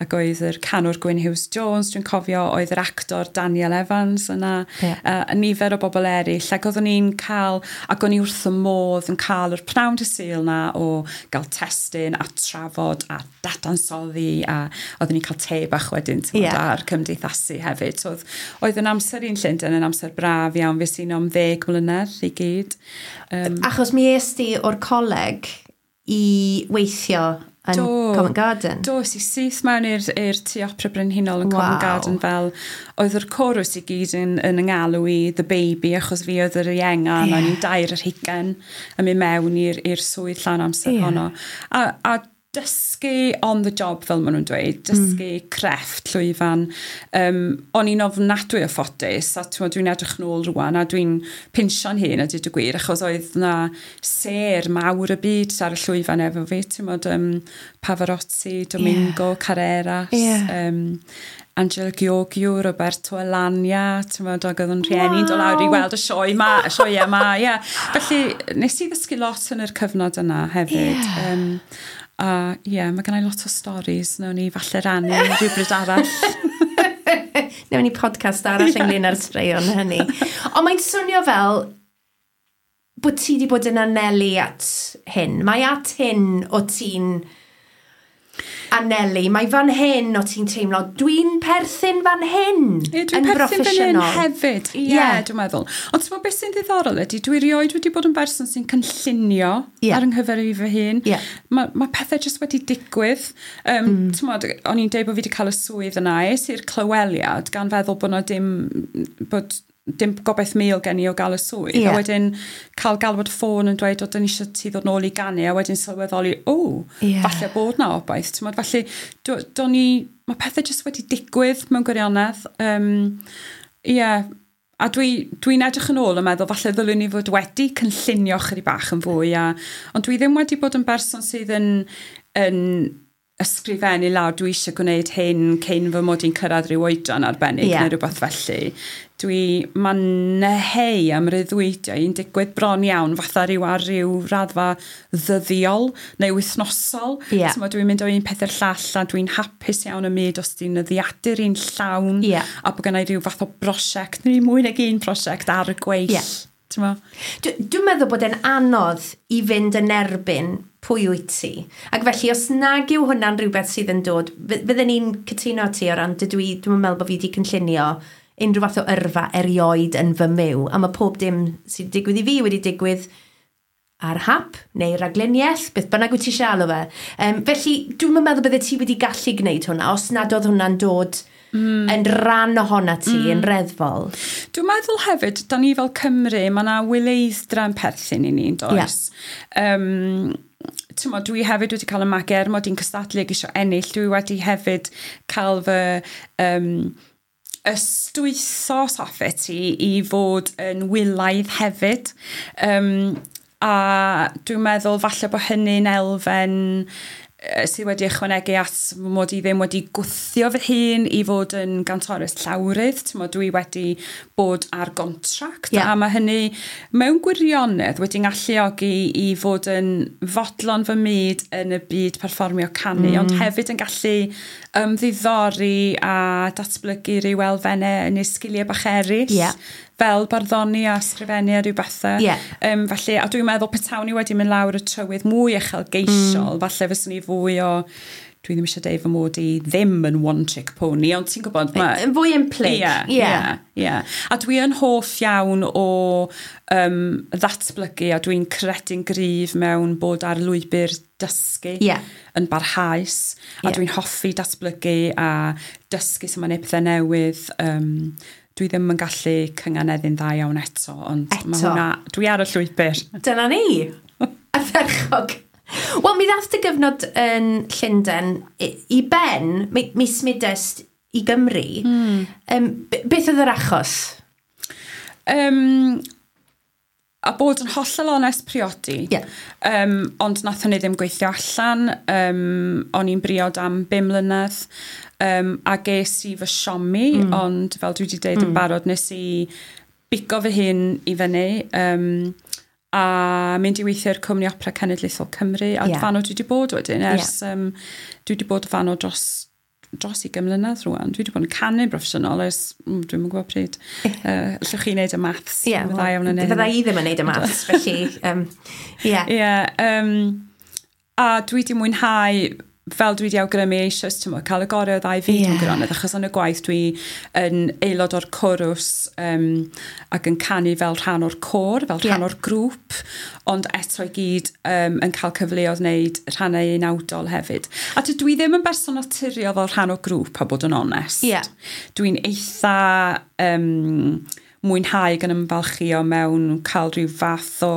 Ac oedd yr canwr Gwyn Hughes Jones, dwi'n cofio, oedd yr actor Daniel Evans yna, a nifer o bobl eraill. Ac oeddwn i'n cael, ac o'n i wrth y modd yn cael yr pnawn dy Sul na o gael testun a trafod a dadansoddi, a oeddwn i'n cael te bach wedyn, ti'n gwbod, a'r cymdeithasu hefyd. So, oedd yn amser i'n Llundain yn amser braf iawn, fues i 'no am 10 mlynedd i gyd. Achos mi es di o'r coleg i weithio yn Covent Garden. Do, es i syth mewn i'r Tŷ Opera Brenhinol yn Covent Garden, fel oedd yr chorus i gyd yn ngalw i The Baby, achos fi oedd yr ienga, yeah. O'n i'n 22 yn mynd mewn i'r swydd llawn amser honno. A dysgu on the job, fel maen nhw'n dweud, dysgu crefft llwyfan. O'n i'n ofnadwy o ffodus, a dwi'n edrych nôl rwan, a dwi'n pinsio'n hun a dweud y gwir, achos oedd na sêr mawr y byd ar y llwyfan efo fi, ti'n modd, Pavarotti, Domingo, Carreras, Angela Gheorghiu, Roberto Alagna, ti'n modd, ac oedd yn rhieni'n dod lawr i weld y sioe yma, y sioe yma, ie. Felly, nes i ddysgu lot yn yr cyfnod yna hefyd. A ie, mae gennai lot o stories, nawn ni falle rannu rhywbryd arall. Nawn ni podcast arall ynglyn â'r straeon hynny. Ond mae'n swnio fel bod ti wedi bod yn anelu at hyn. Mae at hyn o ti'n anelu. Mae fan hyn o ti'n teimlo, dwi'n perthyn fan hyn. Ie, dwi'n perthyn fan hyn hefyd. Ie, dwi'n meddwl. Ond ti'n meddwl beth sy'n ddiddorol ydy, dwi erioed wedi bod yn berson sy'n cynllunio ar yng nghyfer i fy hun. Yeah. Mae pethau jyst wedi digwydd. Ti'n meddwl, o'n i'n deud bod fi wedi cael y swydd yna, es i'r clyweliad gan feddwl bod na dim gobaith mil gen i o gael y swydd. Yeah. A wedyn cael galwad ffôn yn dweud, o, dyn ni eisiau ti ddod nôl i ganu, a wedyn sylweddoli, falle bod na obaith. Ti'n meddwl, felly, mae pethau jyst wedi digwydd mewn gwirionedd. A dwi'n edrych yn ôl yn meddwl, falle ddylwn ni fod wedi cynllunio chydig bach yn fwy, ond dwi ddim wedi bod yn berson sydd yn ysgrifennu lawr, dwi eisiau gwneud hyn cyn fy mod i'n cyrraedd rhyw oedran arbennig neu rhywbeth felly. Mae'n neheu am ryddwydio i'n digwydd bron iawn fatha rhyw ar ryw raddfa ddyddiol neu wythnosol. Yeah. So, dwi'n mynd o un peth i'r llall a dwi'n hapus iawn y myd os di'n nyddiadur i'n llawn a bod gennai rhyw fath o brosiect neu mwy nag un prosiect ar y gweill. Yeah. Dwi'n meddwl bod e'n anodd i fynd yn erbyn pwy wyt ti. Ac felly, os nag yw hwnna'n rhywbeth sydd yn dod, fydden ni'n cytuno ti o ran, dwi'n meddwl bod fi wedi cynllunio unrhyw fath o yrfa erioed yn fy myw, a mae pob dim sydd wedi digwydd i fi wedi digwydd ar hap neu ragluniaeth, beth bynnag wyt ti eisiau alw fe. Felly, dwi'n meddwl bydde ti wedi gallu gwneud hwnna, os nad oedd hwnna'n dod yn rhan ohona ti, yn reddfol. Dwi'n meddwl hefyd, da ni fel Cymru, mae yna wyleidd-dra yn perthyn i ni, does? Yeah. Ti'n mo, dwi hefyd wedi cael y magu, er mod i'n cystadlu ac eisiau ennill, dwi wedi hefyd cael fy ystwytho, os hoffet ti, i fod yn wylaidd hefyd. A dwi'n meddwl falle bod hynny'n elfen sydd wedi ychwanegu at mod i ddim wedi gwthio fy hun i fod yn gantores llawrydd. Ti'n mo, dwi wedi bod ar gontract, a mae hynny mewn gwirionedd wedi ngalluogi i fod yn fodlon fy myd yn y byd perfformio canu, ond hefyd yn gallu ymddiddori a datblygu rhyw elfennau yn ei sgiliau bach eraill. Yeah. Fel barddoni a ysgrifennu a rhyw bethau. Yeah. Felly, a dwi'n meddwl petawn i wedi mynd lawr y trywydd mwy uchelgeisiol, falle fyswn i fwy o, dwi ddim eisiau deud fy mod i ddim yn one-trick pony, ond ti'n gwybod... Yn fwy ymhlyg. Ie. A dwi yn hoff iawn o ddatblygu, a dwi'n credu'n gryf mewn bod ar lwybr dysgu yn barhaus. A dwi'n hoffi datblygu a dysgu sut mae'n neud pethau newydd. Dwi ddim yn gallu cynganeddu'n dda iawn eto, ond eto. Mae hwnna, dwi ar y llwybr. Dyna ni! Ardderchog. Wel, mi ddath dy gyfnod yn Llundain i ben, mi smudest i Gymru. Beth oedd yr achos? A bod yn hollol onest, priodi. Ond nath hynny ddim gweithio allan. O'n i'n briod am 5 mlynedd. A ges i fy siomi, ond fel dwi wedi dweud yn barod, nes i bigo fy hun i fyny. A mynd i weithio i'r Cwmni Opera Cenedlaethol Cymru. A fanno dwi wedi bod wedyn. Ers, dwi wedi bod fanno dros 20 mlynedd rwan. Dwi wedi bod yn canu'n broffesiynol ers, dwi'm yn gwybod pryd. Allwch chi wneud y maths? Ie, fydda i ddim yn wneud y maths, felly, ie. Ie, a dwi wedi mwynhau, fel dwi wedi awgrymu eisoes, ti'n gwbod, cael y gorau o ddau fyd mewn gwirionedd, achos yn y gwaith dwi yn aelod o'r cwrws ac yn canu fel rhan o'r côr, fel rhan o'r grŵp, ond eto i gyd yn cael cyfleoedd wneud rhannau unawdol hefyd. A dwi ddim yn berson naturiol fel rhan o grŵp, a bod yn onest. Dwi'n eitha mwynhau gan ymfalchio mewn cael rhyw fath o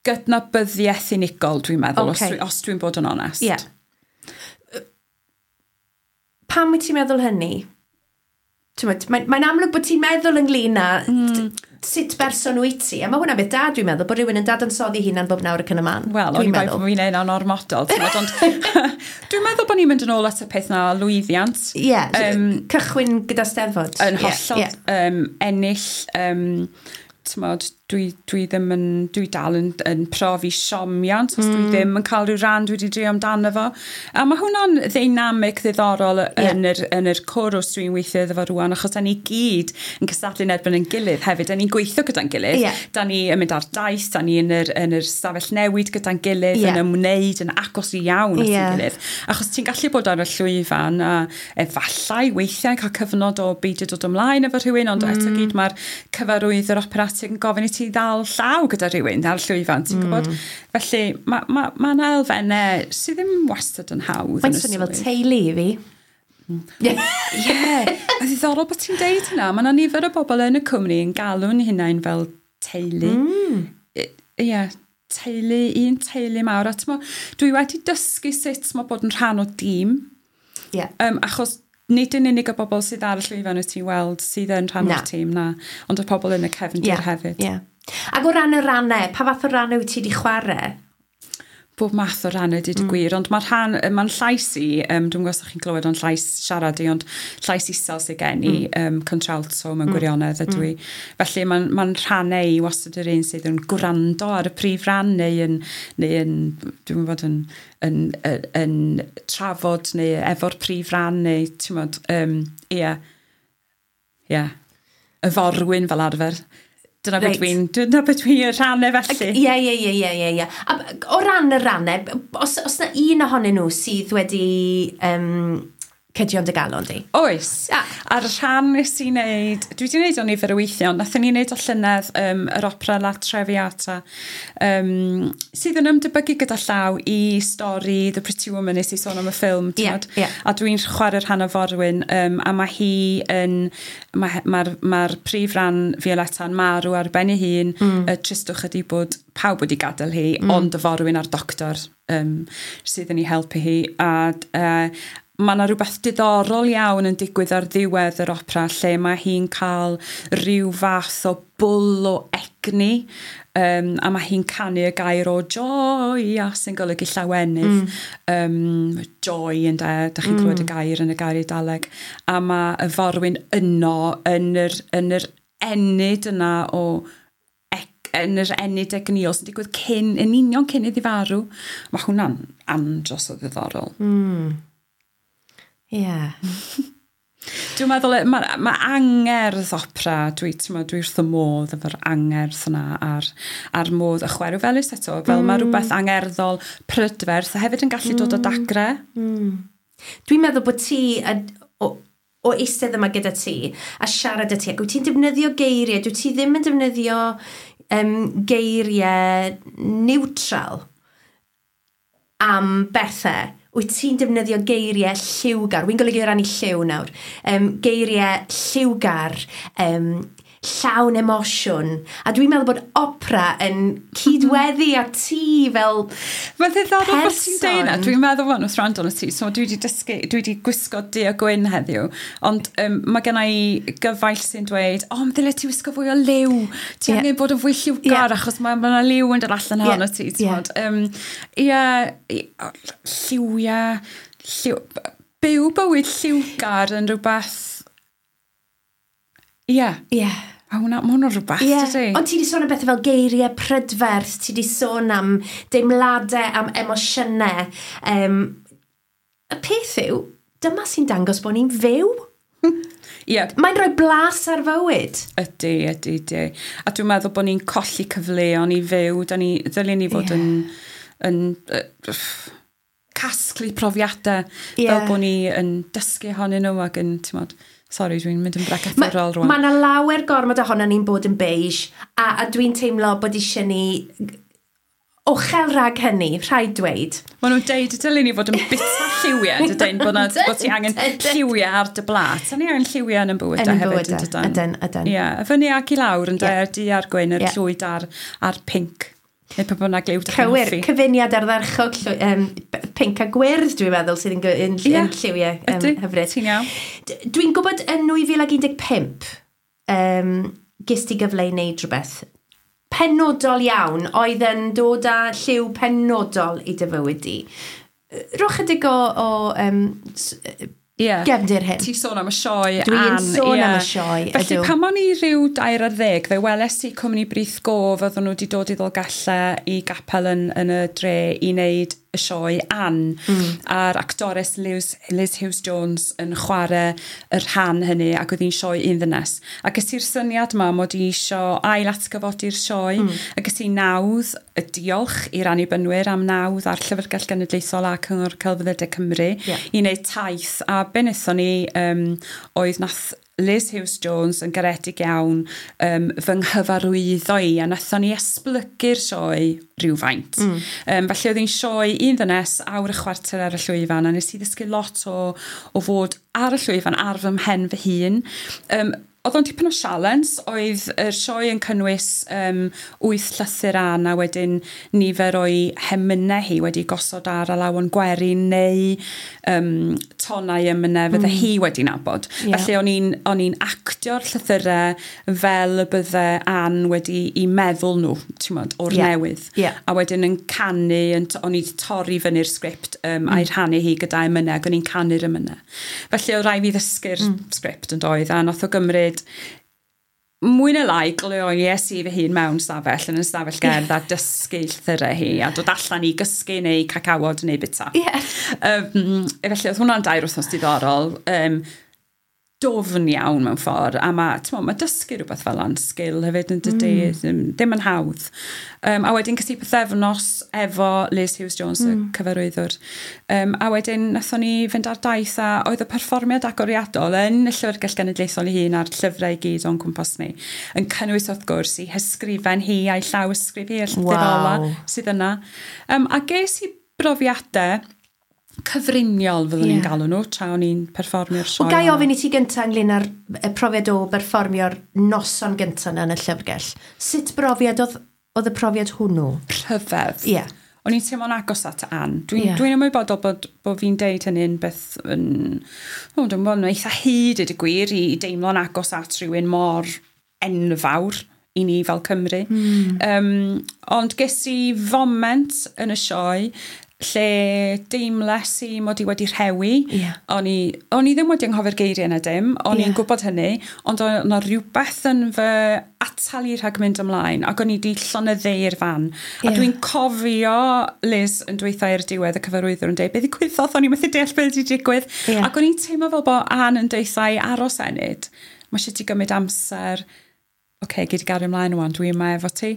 gydnabyddiaeth unigol, dwi'n meddwl, os dwi'n bod yn onest. Yeah. Pam wyt ti'n meddwl hynny? Mae'n amlwg bod ti'n meddwl ynglyn â sut berson wyt ti. A mae hwnna'n beth da, dwi'n meddwl, bod rhywun yn dadansoddi hunan bob nawr ac yn y man. Wel, o'n i'n meddwl bod fi'n neud o'n ormodol. Ond dwi'n meddwl bod ni'n mynd yn ôl at y peth na lwyddiant. Ie, cychwyn gyda Steddfod. Yn hollol, ennill. T'mod, dwi ddim yn, dwi dal yn profi siomiant os dwi ddim yn cael rhyw ran dwi wedi drio amdano fo. A mae hwnna'n ddeinamig ddiddorol yn yr cwrws dwi'n weithio iddo fo rwan, achos da ni gyd yn cystadlu yn erbyn ein gilydd hefyd. Da ni'n gweithio gyda'n gilydd. Da ni yn mynd ar daith, da ni yn yr stafell newid gyda'n gilydd, yn ymwneud yn agos iawn at ein gilydd. Achos ti'n gallu bod ar y llwyfan a efallai weithiau cael cyfnod o beidio dod ymlaen efo rhywun, ond eto gyd mae'r cyfarwydd yr operatig yn gofyn i ti ddal llaw gyda rhywun ar llwyfan, ti'n gwybod? Felly, mae yna elfennau sydd ddim wastad yn hawdd. Mae'n swnio fel teulu i fi. Ie, a ddiddorol bod ti'n deud hynna. Mae yna nifer o bobl yn y cwmni yn galw'n hunain fel teulu. Ie, teulu, un teulu mawr. A dwi wedi dysgu sut mae bod yn rhan o dîm. Achos nid yn unig y bobl sydd ar y llwyfan wyt ti'n weld sydd yn rhan o'r tîm, na, ond y pobl yn y cefndir hefyd. Ac o ran y rannau, pa fath o rannau wyt ti wedi chwarae? Bob math o rannau, dweud y gwir, ond mae'n llais i, dwi'n gwybod os ydych chi'n clywed o'n llais siarad i, ond llais isel sydd gen i, contralto mewn gwirionedd ydw i. Felly mae'n rhannau i wastad yr un sydd yn gwrando ar y prif ran, neu yn dwi'n gwybod, yn trafod neu efo'r prif ran, neu ti'n gwybod, ie, y forwyn fel arfer. Dyna beth dwi'n rhannau felly. Ie. A o ran y rannau, os na un ohonyn nhw sydd wedi cydio'n dy galon di? Oes. A'r rhan nes i wneud, dwi wedi wneud o nifer o weithiau, ond nathon ni wneud o llynedd yr opera La Traviata, sydd yn ymdebygu gyda llaw i stori The Pretty Woman nes i sôn am y ffilm. A dwi'n chwarae'r rhan o forwyn, a mae hi yn, mae'r prif ran Violetta yn marw ar ben ei hun, y tristwch ydi bod pawb wedi gadael hi, ond y forwyn a'r doctor sydd yn ei helpu hi. A mae yna rhywbeth diddorol iawn yn digwydd ar ddiwedd yr opera lle mae hi'n cael rhyw fath o bwl o egni, a mae hi'n canu y gair o joy, a sy'n golygu llawenydd. Joy ynde, da chi'n clywed y gair yn y gair Eidaleg. A mae y forwyn yno yn yr ennyd yna o yn yr ennyd egnïol sy'n digwydd cyn, yn union cyn iddi farw. Mae hwnna'n andros o ddiddorol. Ie. Dwi'n meddwl, mae angerdd opera, dwi wrth y modd efo'r angerdd yna a'r modd y chwerw felys eto, fel mae rhywbeth angerddol prydferth a hefyd yn gallu dod o dagre. Dwi'n meddwl bod ti, o eistedd yma gyda ti a siarad â ti, ac wyt ti'n defnyddio geiriau, dwyt ti ddim yn defnyddio geiriau neutral am bethau. Wyt ti'n defnyddio geiriau lliwgar? Wy'n golygu o ran i lliw nawr. Geiriau lliwgar, llawn emosiwn. A dwi'n meddwl bod opera yn cydweddu â ti fel Mae'n ddiddorol bod ti'n deud 'na. Dwi'n meddwl fan wrth rando arno ti. So dwi wedi dysgu, dwi wedi gwisgo du a gwyn heddiw. Ond mae gen i gyfaill sy'n dweud, "O, oh, ddyle ti wisgo fwy o liw. Ti angen bod yn fwy lliwgar achos mae yna liw yn dod allan ohono ti." Ie, lliwiau, byw bywyd lliwgar yn rhywbeth. Ie. A hwnna, mae hwnna'n rhywbeth, dydy? Ond ti wedi sôn am bethau fel geiriau prydferth, ti wedi sôn am deimladau, am emosiynau. Y peth yw, dyma sy'n dangos bod ni'n fyw. Mae'n rhoi blas ar fywyd. Ydy, ydy, ydy. A dwi'n meddwl bod ni'n colli cyfleon i fyw. Da ni, ddylen ni fod yn casglu profiadau fel bod ni yn dysgu ohonyn nhw ac yn, ti'n modd, sorry, dwi'n mynd yn bregethwrol rwan. Mae yna lawer gormod ohono ni'n bod yn beige, a dwi'n teimlo bod eisiau ni ochel rhag hynny, rhaid dweud. Maen nhw'n deud y dylen ni fod yn bita lliwiau, dydyn, bod ti angen lliwiau ar dy blat. A ni angen lliwiau yn y bywydau Yn y hefyd, bywydau, yn dydyn? Ydyn, ydyn. Ie, y fyny ac i lawr, yn y du a'r gwyn, yr llwyd a'r pinc. Neu pa bynnag liw dych chi'n Cywir, hoffi. Cyfuniad ardderchog, pinc a gwyrdd, dwi'n meddwl, sydd yn lliwiau hyfryd. Ti'n iawn. Dwi'n gwybod yn 2015, ges ti gyfle i wneud rhywbeth penodol iawn, oedd yn dod â lliw penodol i dy fywyd di. Rhowch chydig o gefndir hyn. Ti sôn am y sioe, Dwi'n Ann, sôn am y sioe, Felly ydw. pan o'n i rhyw 13, fe weles i cwmni Brith Gof, oedden nhw wedi dod i Ddolgellau i gapel yn y dre i wneud y sioe Ann. A'r actores Liz Hughes Jones yn chwarae y rhan hynny, ac oedd hi'n sioe un ddynes. A ges i'r syniad yma mod i isio ail atgyfodi'r sioe, a ges i nawdd, y diolch i'r Annibynwyr am nawdd a'r Llyfrgell Genedlaethol a Cyngor Celfyddydau Cymru i wneud taith. A be wnaethon ni oedd nath Liz Hughes Jones yn garedig iawn fy nghyfarwyddo i, a nathon ni esblygu'r sioe rhywfaint. Felly oedd hi'n sioe un ddynes, awr a chwarter ar y llwyfan, a nes i ddysgu lot o fod ar y llwyfan ar fy mhen fy hun. Oedd o'n tipyn o sialens, oedd y sioe yn cynnwys wyth llythyr Ann a wedyn nifer o'i hemynau hi wedi gosod ar alawon gwerin neu tonau emynau fydde hi wedi nabod. Felly o'n i'n actio'r llythyrau fel y bydde Ann wedi i meddwl nhw, ti'n modd, o'r newydd. A wedyn yn canu, o'n i wedi torri fyny'r sgript a'i rhannu hi gyda emynau, ac o'n i'n canu'r emynau. Felly oedd rhaid fi ddysgu'r sgript yn doedd, a nath o gymryd mwy neu lai gloies i fy hun mewn stafell, yn y stafell gerdd, a dysgu llythyrau hi, a dod allan i gysgu neu cacawod neu bita. Felly oedd hwnna'n 2 wythnos diddorol, dwfn iawn mewn ffordd, a mae, t'mo, mae dysgu rhywbeth fel yna'n sgil hefyd yn dydy, ddim yn hawdd. A wedyn ces i pythefnos efo Liz Hughes Jones, y cyfarwyddwr. A wedyn nathon ni fynd ar daith, a oedd y perfformiad agoriadol yn y Llyfrgell Genedlaethol ei hun a'r llyfrau i gyd o'n cwmpas ni, yn cynnwys wrth gwrs i hysgrifen hi a'i llaw ysgrif hi, y llythyr ola sydd yna. A ges i brofiadau cyfriniol fyddwn ni'n galw nhw tra o'n i'n perfformio'r sioe. Wel, gai yna. ofyn i ti gyntaf ynglyn â'r y profiad o berfformio'r noson gyntaf yna yn y llyfrgell? Sut brofiad oedd y profiad hwnnw? Rhyfedd. O'n i'n teimlo'n agos at Ann. Dwi'n dwi ymwybodol bod fi'n deud hynny'n beth yn... O, dwi'n bod yn eitha hyd i gwir i deimlo'n agos at rhywun mor enfawr i ni fel Cymru. Ond ges i foment yn y sioe lle deimles i mod i wedi rhewi. O'n i ddim wedi anghofio'r geiriau yna dim, o'n i'n gwybod hynny, ond o'n yna rhywbeth yn fy atal i rhag mynd ymlaen, ac o'n i wedi llonyddu i'r fan. A dwi'n cofio Liz yn dweutha i'r diwedd, y cyfarwyddwr yn dweud, "Beth ddigwyddodd? O'n i'n methu deall beth wedi digwydd." Ac o'n i'n teimlo fel bod Ann yn deutha i aros ennyd. "Mae eisiau ti gymryd amser. Oce, gei di gario ymlaen wan, dwi yma efo ti."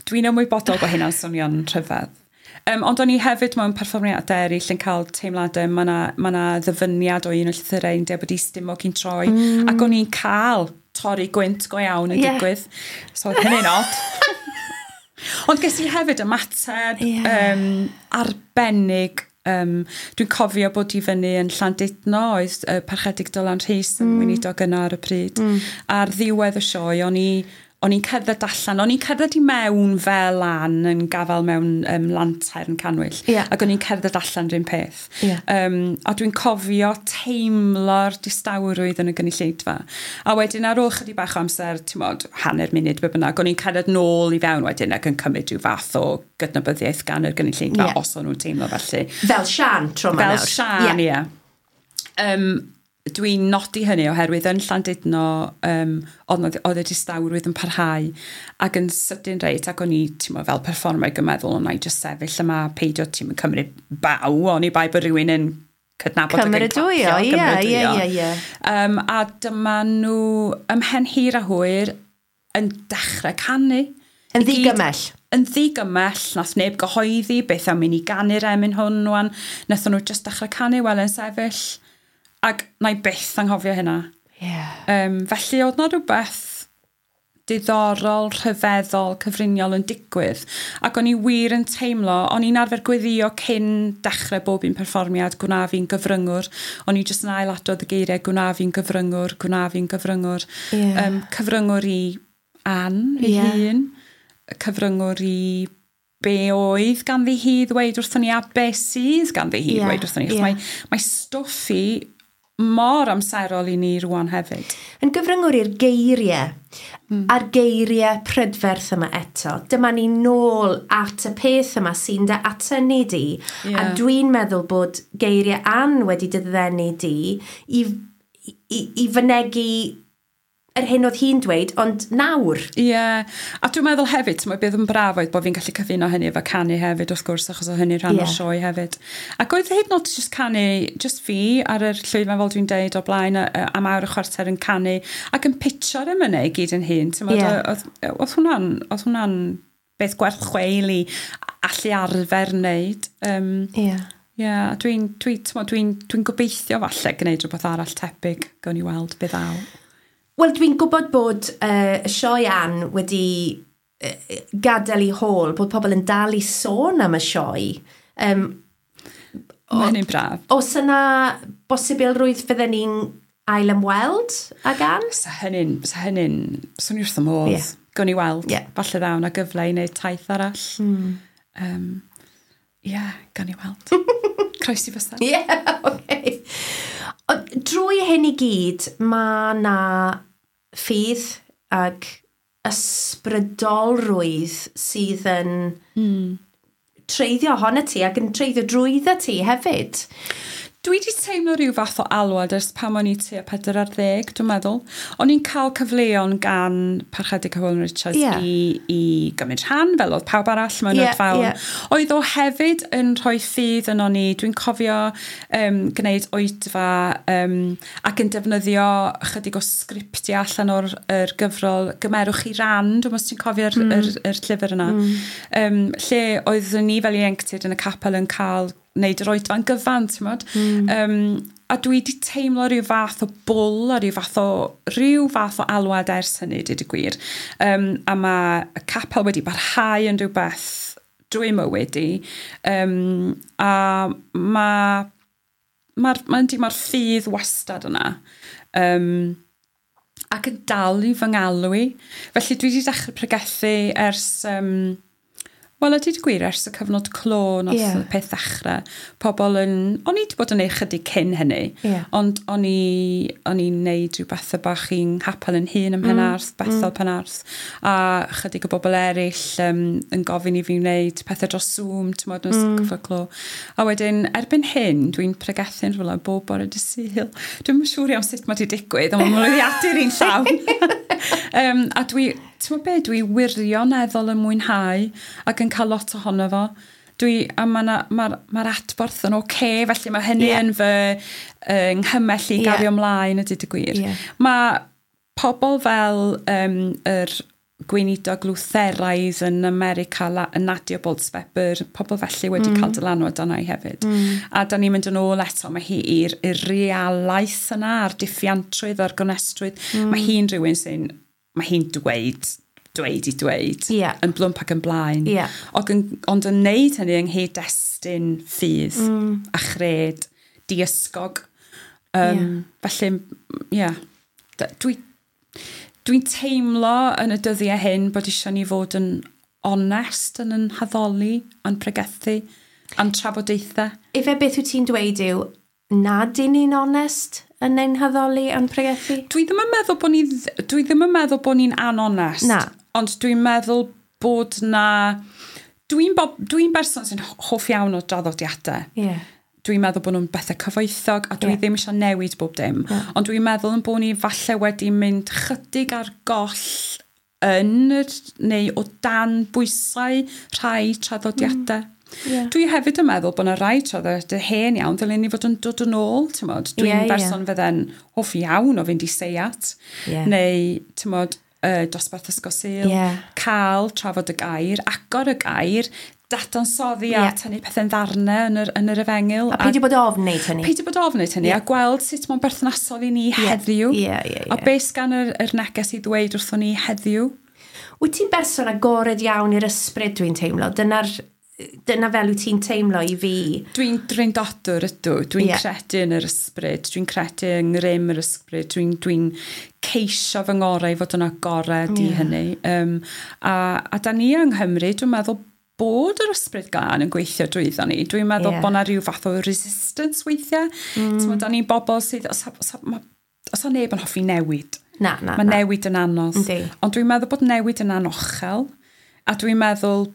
Dwi'n ymwybodol bod hynna'n swnio'n rhyfedd. Ond o'n i hefyd mewn perfformiadau eraill yn cael teimladau, mae yna ma 'na ddyfyniad o un o llythyrau yn dweud bod i stumog i'n troi, ac o'n i'n cael torri gwynt go iawn yn digwydd. So oedd hynny'n od. Ond ges i hefyd ymateb arbennig. Dwi'n cofio bod i fyny yn Llandudno, oedd Parchedig Dylan Rhys yn weinidog yna ar y pryd. Ar ddiwedd y sioe, o'n i'n cerdded allan, o'n i'n cerdded i mewn fel Ann yn gafael mewn lantern canwyll, ac o'n i'n cerdded allan rhywun peth. A dwi'n cofio teimlo'r distawrwydd yn y gynulleidfa. A wedyn ar ôl chydig bach o amser, ti'n mod, hanner munud be bynnag, o'n i'n cerdded nôl i fewn wedyn ac yn cymryd rhyw fath o gydnabyddiaeth gan yr gynulleidfa, os o'n nhw'n teimlo felly. Fel Sian tro yma nawr. Fel Sian, ie. Dwi'n nodi hynny oherwydd yn Llandudno oedd y distawrwydd yn parhau ac yn sydyn reit, ac o'n i, ti'n mo, fel perfformer yn meddwl, o'n i just sefyll yma, peidio, ti'n cymryd baw, o'n i bai bod rhywun yn cydnabod ac yn clapio. Cymeradwyo, ie. A dyma nhw ymhen hir a hwyr yn dechrau canu. Yn ddigymell. Yn ddigymell, nath neb gyhoeddi beth am mynd i ganu'r emyn hwn wan. Nathon nhw just dechrau canu, wel yn sefyll. Ac na i byth anghofio hynna. Felly oedd na rhywbeth diddorol, rhyfeddol, cyfriniol yn digwydd. Ac o'n i wir yn teimlo, o'n i'n arfer gweddio cyn dechrau bob un perfformiad, gwna fi'n gyfryngwr. O'n i jyst yn ailadrodd y geiriau, gwna fi'n gyfryngwr, gwna fi'n gyfryngwr. Cyfryngwr i Ann, ei hun. Cyfryngwr i be oedd ganddi hi ddweud wrthon ni a be sydd ganddi hi ddweud wrthon ni. Mae stwff i mor amserol i ni rwan hefyd. Yn gyfryngwr i'r geiriau, a'r geiriau prydferth yma eto. Dyma ni nôl at y peth yma sy'n dy atynnu di. A dwi'n meddwl bod geiriau Ann wedi dy ddenu di i fynegi yr hyn oedd hi'n dweud, ond nawr. Ie, a dwi'n meddwl hefyd, mae beth yn braf oedd bod fi'n gallu cyfuno hynny efo canu hefyd, wrth gwrs, achos oedd hynny rhan o'r sioe hefyd. Ac oedd hyd yn oed just canu, just fi ar yr llwyfan fel dwi'n deud o blaen, am awr a chwarter yn canu, ac yn pitio'r emynau i gyd yn hun. Oedd hwnna'n beth gwerth chweil i allu arfer wneud. Ie, dwi'n gobeithio falle gwneud rhywbeth arall tebyg, gawn ni weld beth ddaw. Wel, dwi'n gwybod bod y sioe Ann wedi gadael ei hôl, bod pobl yn dal i sôn am y sioe. Mae hynny'n braf. Oes yna bosibilrwydd fydden ni'n ail ymweld ag Ann? Sa hynny'n, swn i wrth y modd. Gawn ni weld. Falle ddaw na gyfle i wneud taith arall. Gawn ni weld. Croesi fysedd. Ie, oce. Drwy hyn i gyd, mae na ffydd ag ysbrydolrwydd sydd yn treiddio ohono ti ac yn treiddio drwyddo ti hefyd. Dwi wedi teimlo rhyw fath o alwad ers pan o'n i tua 40, dwi'n meddwl. O'n i'n cael cyfleon gan Parchedig Hywel Richards i gymryd rhan, fel oedd pawb arall mewn oedfaon. Oedd o hefyd yn rhoi ffydd yno ni. Dwi'n cofio gwneud oedfa ac yn defnyddio chydig o sgriptiau allan o'r gyfrol Gymerwch chi ran, dwi'n meddwl os ti'n cofio'r yr llyfr yna. Lle oeddwn ni fel ieuenctid yn y capel yn cael wneud yr oedfa'n gyfan, ti'n modd. A dwi wedi teimlo rhyw fath o bwl a rhyw fath o alwad ers hynny, dweud y gwir. A mae y capel wedi barhau yn rhywbeth drwy mywyd i. A mae'r ffydd wastad yna. Ac yn dal i fy ngalw i. Felly dwi wedi dechrau pregethu ers... Wel, a dweud y gwir, ers y cyfnod clo nath y peth ddechrau, pobl yn... O'n i wedi bod yn ei chydig cyn hynny, ond o'n i'n neud rhyw bethau bach i'n nghapel yn hun ym Mhenarth, Bethel Penarth, a chydig o bobl eraill yn gofyn i fi wneud pethau dros Zoom, ti'n modd, yn cyfnod clo. A wedyn, erbyn hyn, dwi'n pregethu'n rhywle bob bore dydd Sul. Dwi'm yn siŵr iawn sut mae 'di digwydd, ond mae'n mlwyddiadur i'n llawn. A dwi... Ti'n gwybod be, dwi wirioneddol yn mwynhau ac yn cael lot ohono fo. Mae'r adborth yn oce, felly mae hynny yn fy nghymell i gario ymlaen, a dweud y gwir. Mae pobl fel yr gweinidog Lutheraidd yn America, Nadia Bolz-Weber, pobl felly wedi cael dylanwad arna i hefyd. A da ni'n mynd yn ôl eto, mae hi i'r realaeth yna, a'r diffiantrwydd, a'r gonestrwydd. Mae hi'n rhywun sy'n... Mae hi'n dweud dweud i dweud, yn blwmp ac yn blaen. Ond yn neud hynny yng nghyd-destun ffydd a chred diysgog. Felly, dwi'n teimlo yn y dyddiau hyn bod eisiau ni fod yn onest yn yn haddoli, a'n pregethu, a'n trafodaethau. Ife beth wyt ti'n dweud yw nad y'n ni'n onest yn ein haddoli a'n pregethu? Dwi ddim yn meddwl bod ni, dwi ddim yn meddwl bod ni'n anonest. Na. Ond dwi'n meddwl bod na... Dwi'n berson sy'n hoff iawn o draddodiadau. Yeah. Dwi'n meddwl bod nhw'n bethau cyfoethog a dwi ddim eisiau newid bob dim. Yeah. Ond dwi'n meddwl yn bod ni falle wedi mynd chydig ar goll yn neu o dan bwysau rhai traddodiadau. Yeah. Dwi hefyd yn meddwl bod yna rai traddodiadau hen iawn ddylen ni fod yn dod yn ôl, ti'mod. Dwi'n berson fydde'n hoff iawn o fynd i seiat, neu, ti'mod, dosbarth Ysgol Sul, cael trafod y gair, agor y gair, dadansoddi a tynnu pethau'n ddarnau yn yr efengyl. A peidio bod ofn wneud hynny. Peidio bod ofn wneud hynny, a gweld sut mae'n berthnasol i ni heddiw. A beth gan yr neges i ddweud wrthon ni heddiw. Wyt ti'n berson agored iawn i'r ysbryd, dwi'n teimlo? Dyna fel wyt ti'n teimlo i fi? Dwi'n drindodwr ydw. Dwi'n credu yn yr ysbryd. Dwi'n credu yng ngrym yr ysbryd. Dwi'n ceisio fy ngorau i fod yn agored i hynny. A da ni yng Nghymru, dwi'n meddwl bod yr ysbryd glân yn gweithio drwyddo ni. Dwi'n meddwl bod 'na rhyw fath o resistance weithiau. Mm. Da ni'n bobl sydd... Os o neb yn hoffi newid. Na. Mae newid yn anodd. Yndi. Ond dwi'n meddwl bod newid yn anochel. A dwi'n meddwl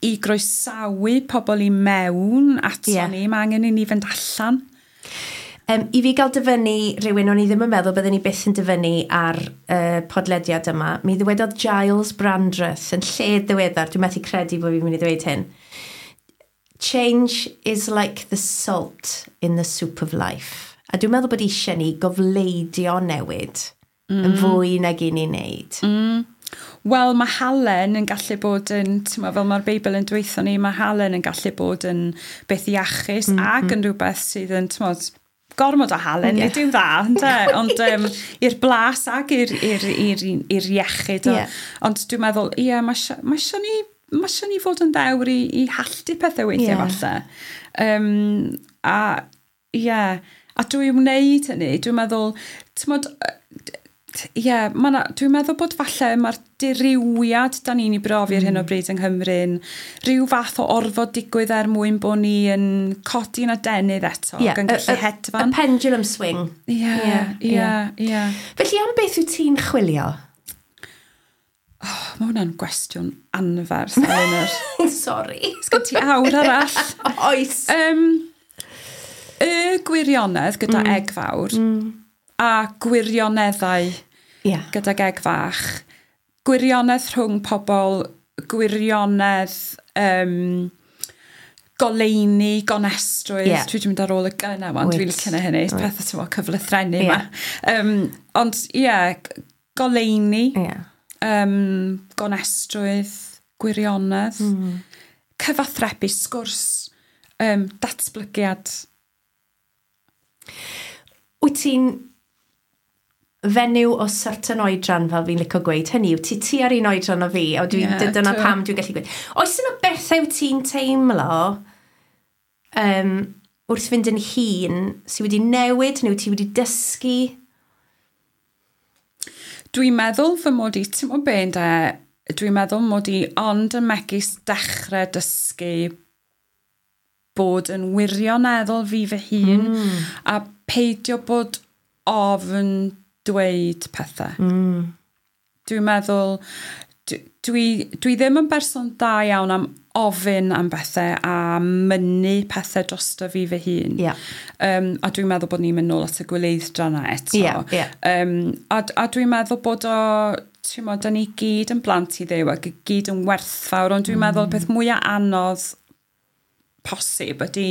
i groesawu pobl i mewn ato ni, mae angen i ni fynd allan. I fi gael dyfynnu rhywun o'n i ddim yn meddwl byddwn ni byth yn dyfynnu ar podlediad yma, mi ddywedodd Giles Brandreth yn lled ddiweddar, dwi'n methu credu bod fi'n mynd i ddweud hyn. Change is like the salt in the soup of life. A dwi'n meddwl bod eisiau ni gofleidio newid yn fwy nag i ni wneud. Wel, mae halen yn gallu bod yn, ti'n fel mae'r Beibl yn dweutho ni, mae halen yn gallu bod yn beth iachus ac yn rhywbeth sydd yn, ti'n gormod o halen, nid yw dda, ynde? Ond i'r blas ac i'r iechyd. Ond dwi'n meddwl, ie, mae eisiau ni fod yn ddewr i halltu pethau weithiau falle. A drwy wneud hynny, dwi'n meddwl, ti'n dwi'n meddwl bod falle mae'r dirywiad da ni'n ei brofi ar hyn o bryd yng Nghymru'n rhyw fath o orfod digwydd er mwyn bod ni yn codi'n adenydd eto ac yn gallu hedfan. Y pendulum swing. Ie. Felly am beth wyt ti'n chwilio? Oh, mae hwnna'n gwestiwn anferth, Elinor. Sorry. Sgyn ti awr arall? Oes. Y gwirionedd gyda egg fawr a gwirioneddau gydag egg fach. Gwirionedd rhwng pobl, gwirionedd goleuni, gonestrwydd. Dwi wedi mynd ar ôl y gynna, ond dwi'n licio hynny. Pethau ti'n meddwl cyflythrennu yma. Ond goleuni, gonestrwydd, gwirionedd, cyfathrebu, sgwrs, datblygiad. Wyt ti'n fenyw o certain oedran, fel fi'n licio gweud, hynny yw, ti ar un oedran o fi, a dyna pam dwi'n gallu gweud. Oes yna bethau wyt ti'n teimlo wrth fynd yn hŷn sydd wedi newid neu ti wedi dysgu? Dwi'n meddwl fy mod i, ti'n meddwl be ynde, dwi'n meddwl mod i ond yn megis dechrau dysgu bod yn wirioneddol fi fy hun a peidio bod ofn dweud pethau. Dwi'n meddwl, dwi ddim yn berson da iawn am ofyn am bethau a mynnu pethau drosto fi fy hun. A dwi'n meddwl bod ni'n mynd nôl at y gwyleidd-dra 'na eto. A dwi'n meddwl bod o, ti'n meddwl, da ni gyd yn blant i Dduw ac i gyd yn werthfawr, ond dwi'n meddwl peth mwyaf anodd posib ydy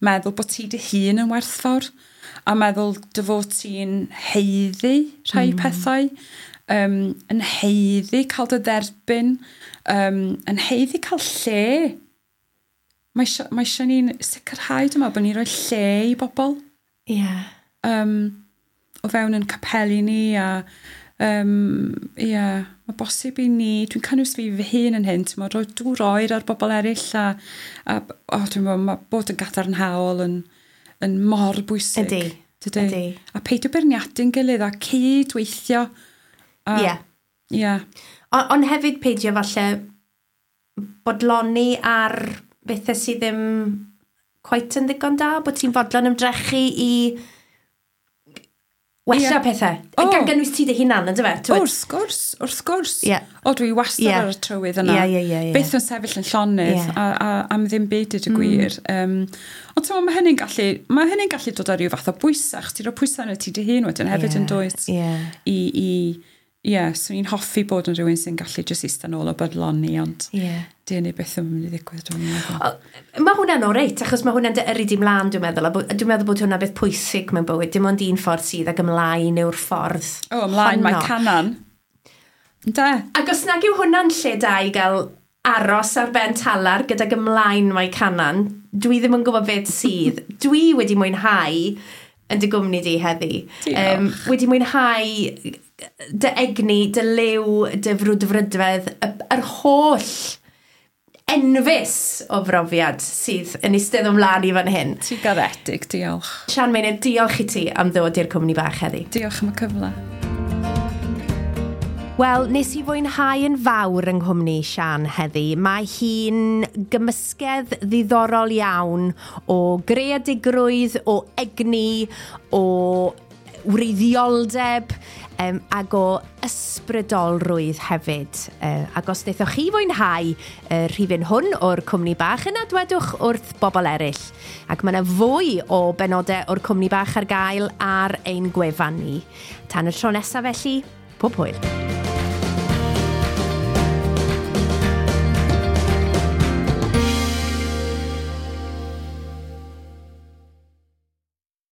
meddwl bod ti dy hun yn werthfawr a meddwl dy fod ti'n haeddu rhai pethau, yn haeddu cael dy dderbyn, yn haeddu cael lle. Mae eisiau ni'n sicrhau, dwi'n meddwl, bod ni'n rhoi lle i bobl. O fewn yn capeli ni a Ie, mae bosib i ni, dwi'n cynnwys fi fy hun yn hyn, ti'n rhoi dŵr oer ar bobl eraill a oh, dwi'n meddwl, mae bod yn gadarnhaol yn mor bwysig. Ydy. Dydy? Ydy. A peidio beirniadu'n gilydd a cydweithio. Ie. Ie. Ond hefyd peidio falle bodloni ar bethau sydd ddim cweit yn ddigon da, bod ti'n fodlon ymdrechu i wella pethau. Oh. Gan gynnwys ti dy hunan, ynddo fe? Wrth gwrs, wrth gwrs. Yeah. O, dwi wastad ar y trywydd yna. Yeah. Byth yn sefyll yn llonydd a am ddim byd i gwir. Ond ti'n mae hynny'n gallu, mae hynny'n gallu dod â rhyw fath o bwysau. Ti'n rhoi pwysau yn y ti dy hun wedyn hefyd yn dwyt. Ie, swn i'n hoffi bod yn rhywun sy'n gallu jyst eistedd nôl o bodloni, ond di hynny byth yn mynd i ddigwydd, dwi'n meddwl. Mae hwnna'n oreit, achos mae hwnna'n dy yrru di mlaen, dwi'n meddwl. A dwi'n meddwl bod hwnna'n beth pwysig mewn bywyd. Dim ond un ffordd sydd, ac ymlaen yw'r ffordd. O, ymlaen, mae Canan. Ynde? Ac os nag yw hwnna'n lle da i gael aros ar ben talar gydag ymlaen mae Canan, dwi ddim yn gwybod beth sydd. Dwi wedi mwynhau yn dy gwmni di heddi. Diolch. Wedi mwynhau dy egni, dy liw, dy frwdfrydfedd, yr holl enfys o brofiad sydd yn eistedd ymlaen i fan hyn. Ti'n garedig, diolch. Sian Meinir, diolch i ti am ddod i'r cwmni bach heddi. Diolch am y cyfle. Wel, nes i fwynhau yn fawr yng nghwmni Sian heddi. Mae hi'n gymysgedd ddiddorol iawn o greadigrwydd, o egni, o wreiddioldeb ac o ysbrydolrwydd hefyd. Ac os wnaethoch chi fwynhau y rhifyn hwn o'r cwmni bach, yna dwedwch wrth bobl eraill. Ac mae yna fwy o benodau o'r cwmni bach ar gael ar ein gwefan ni. Tan y tro nesaf felly, pob hwyl.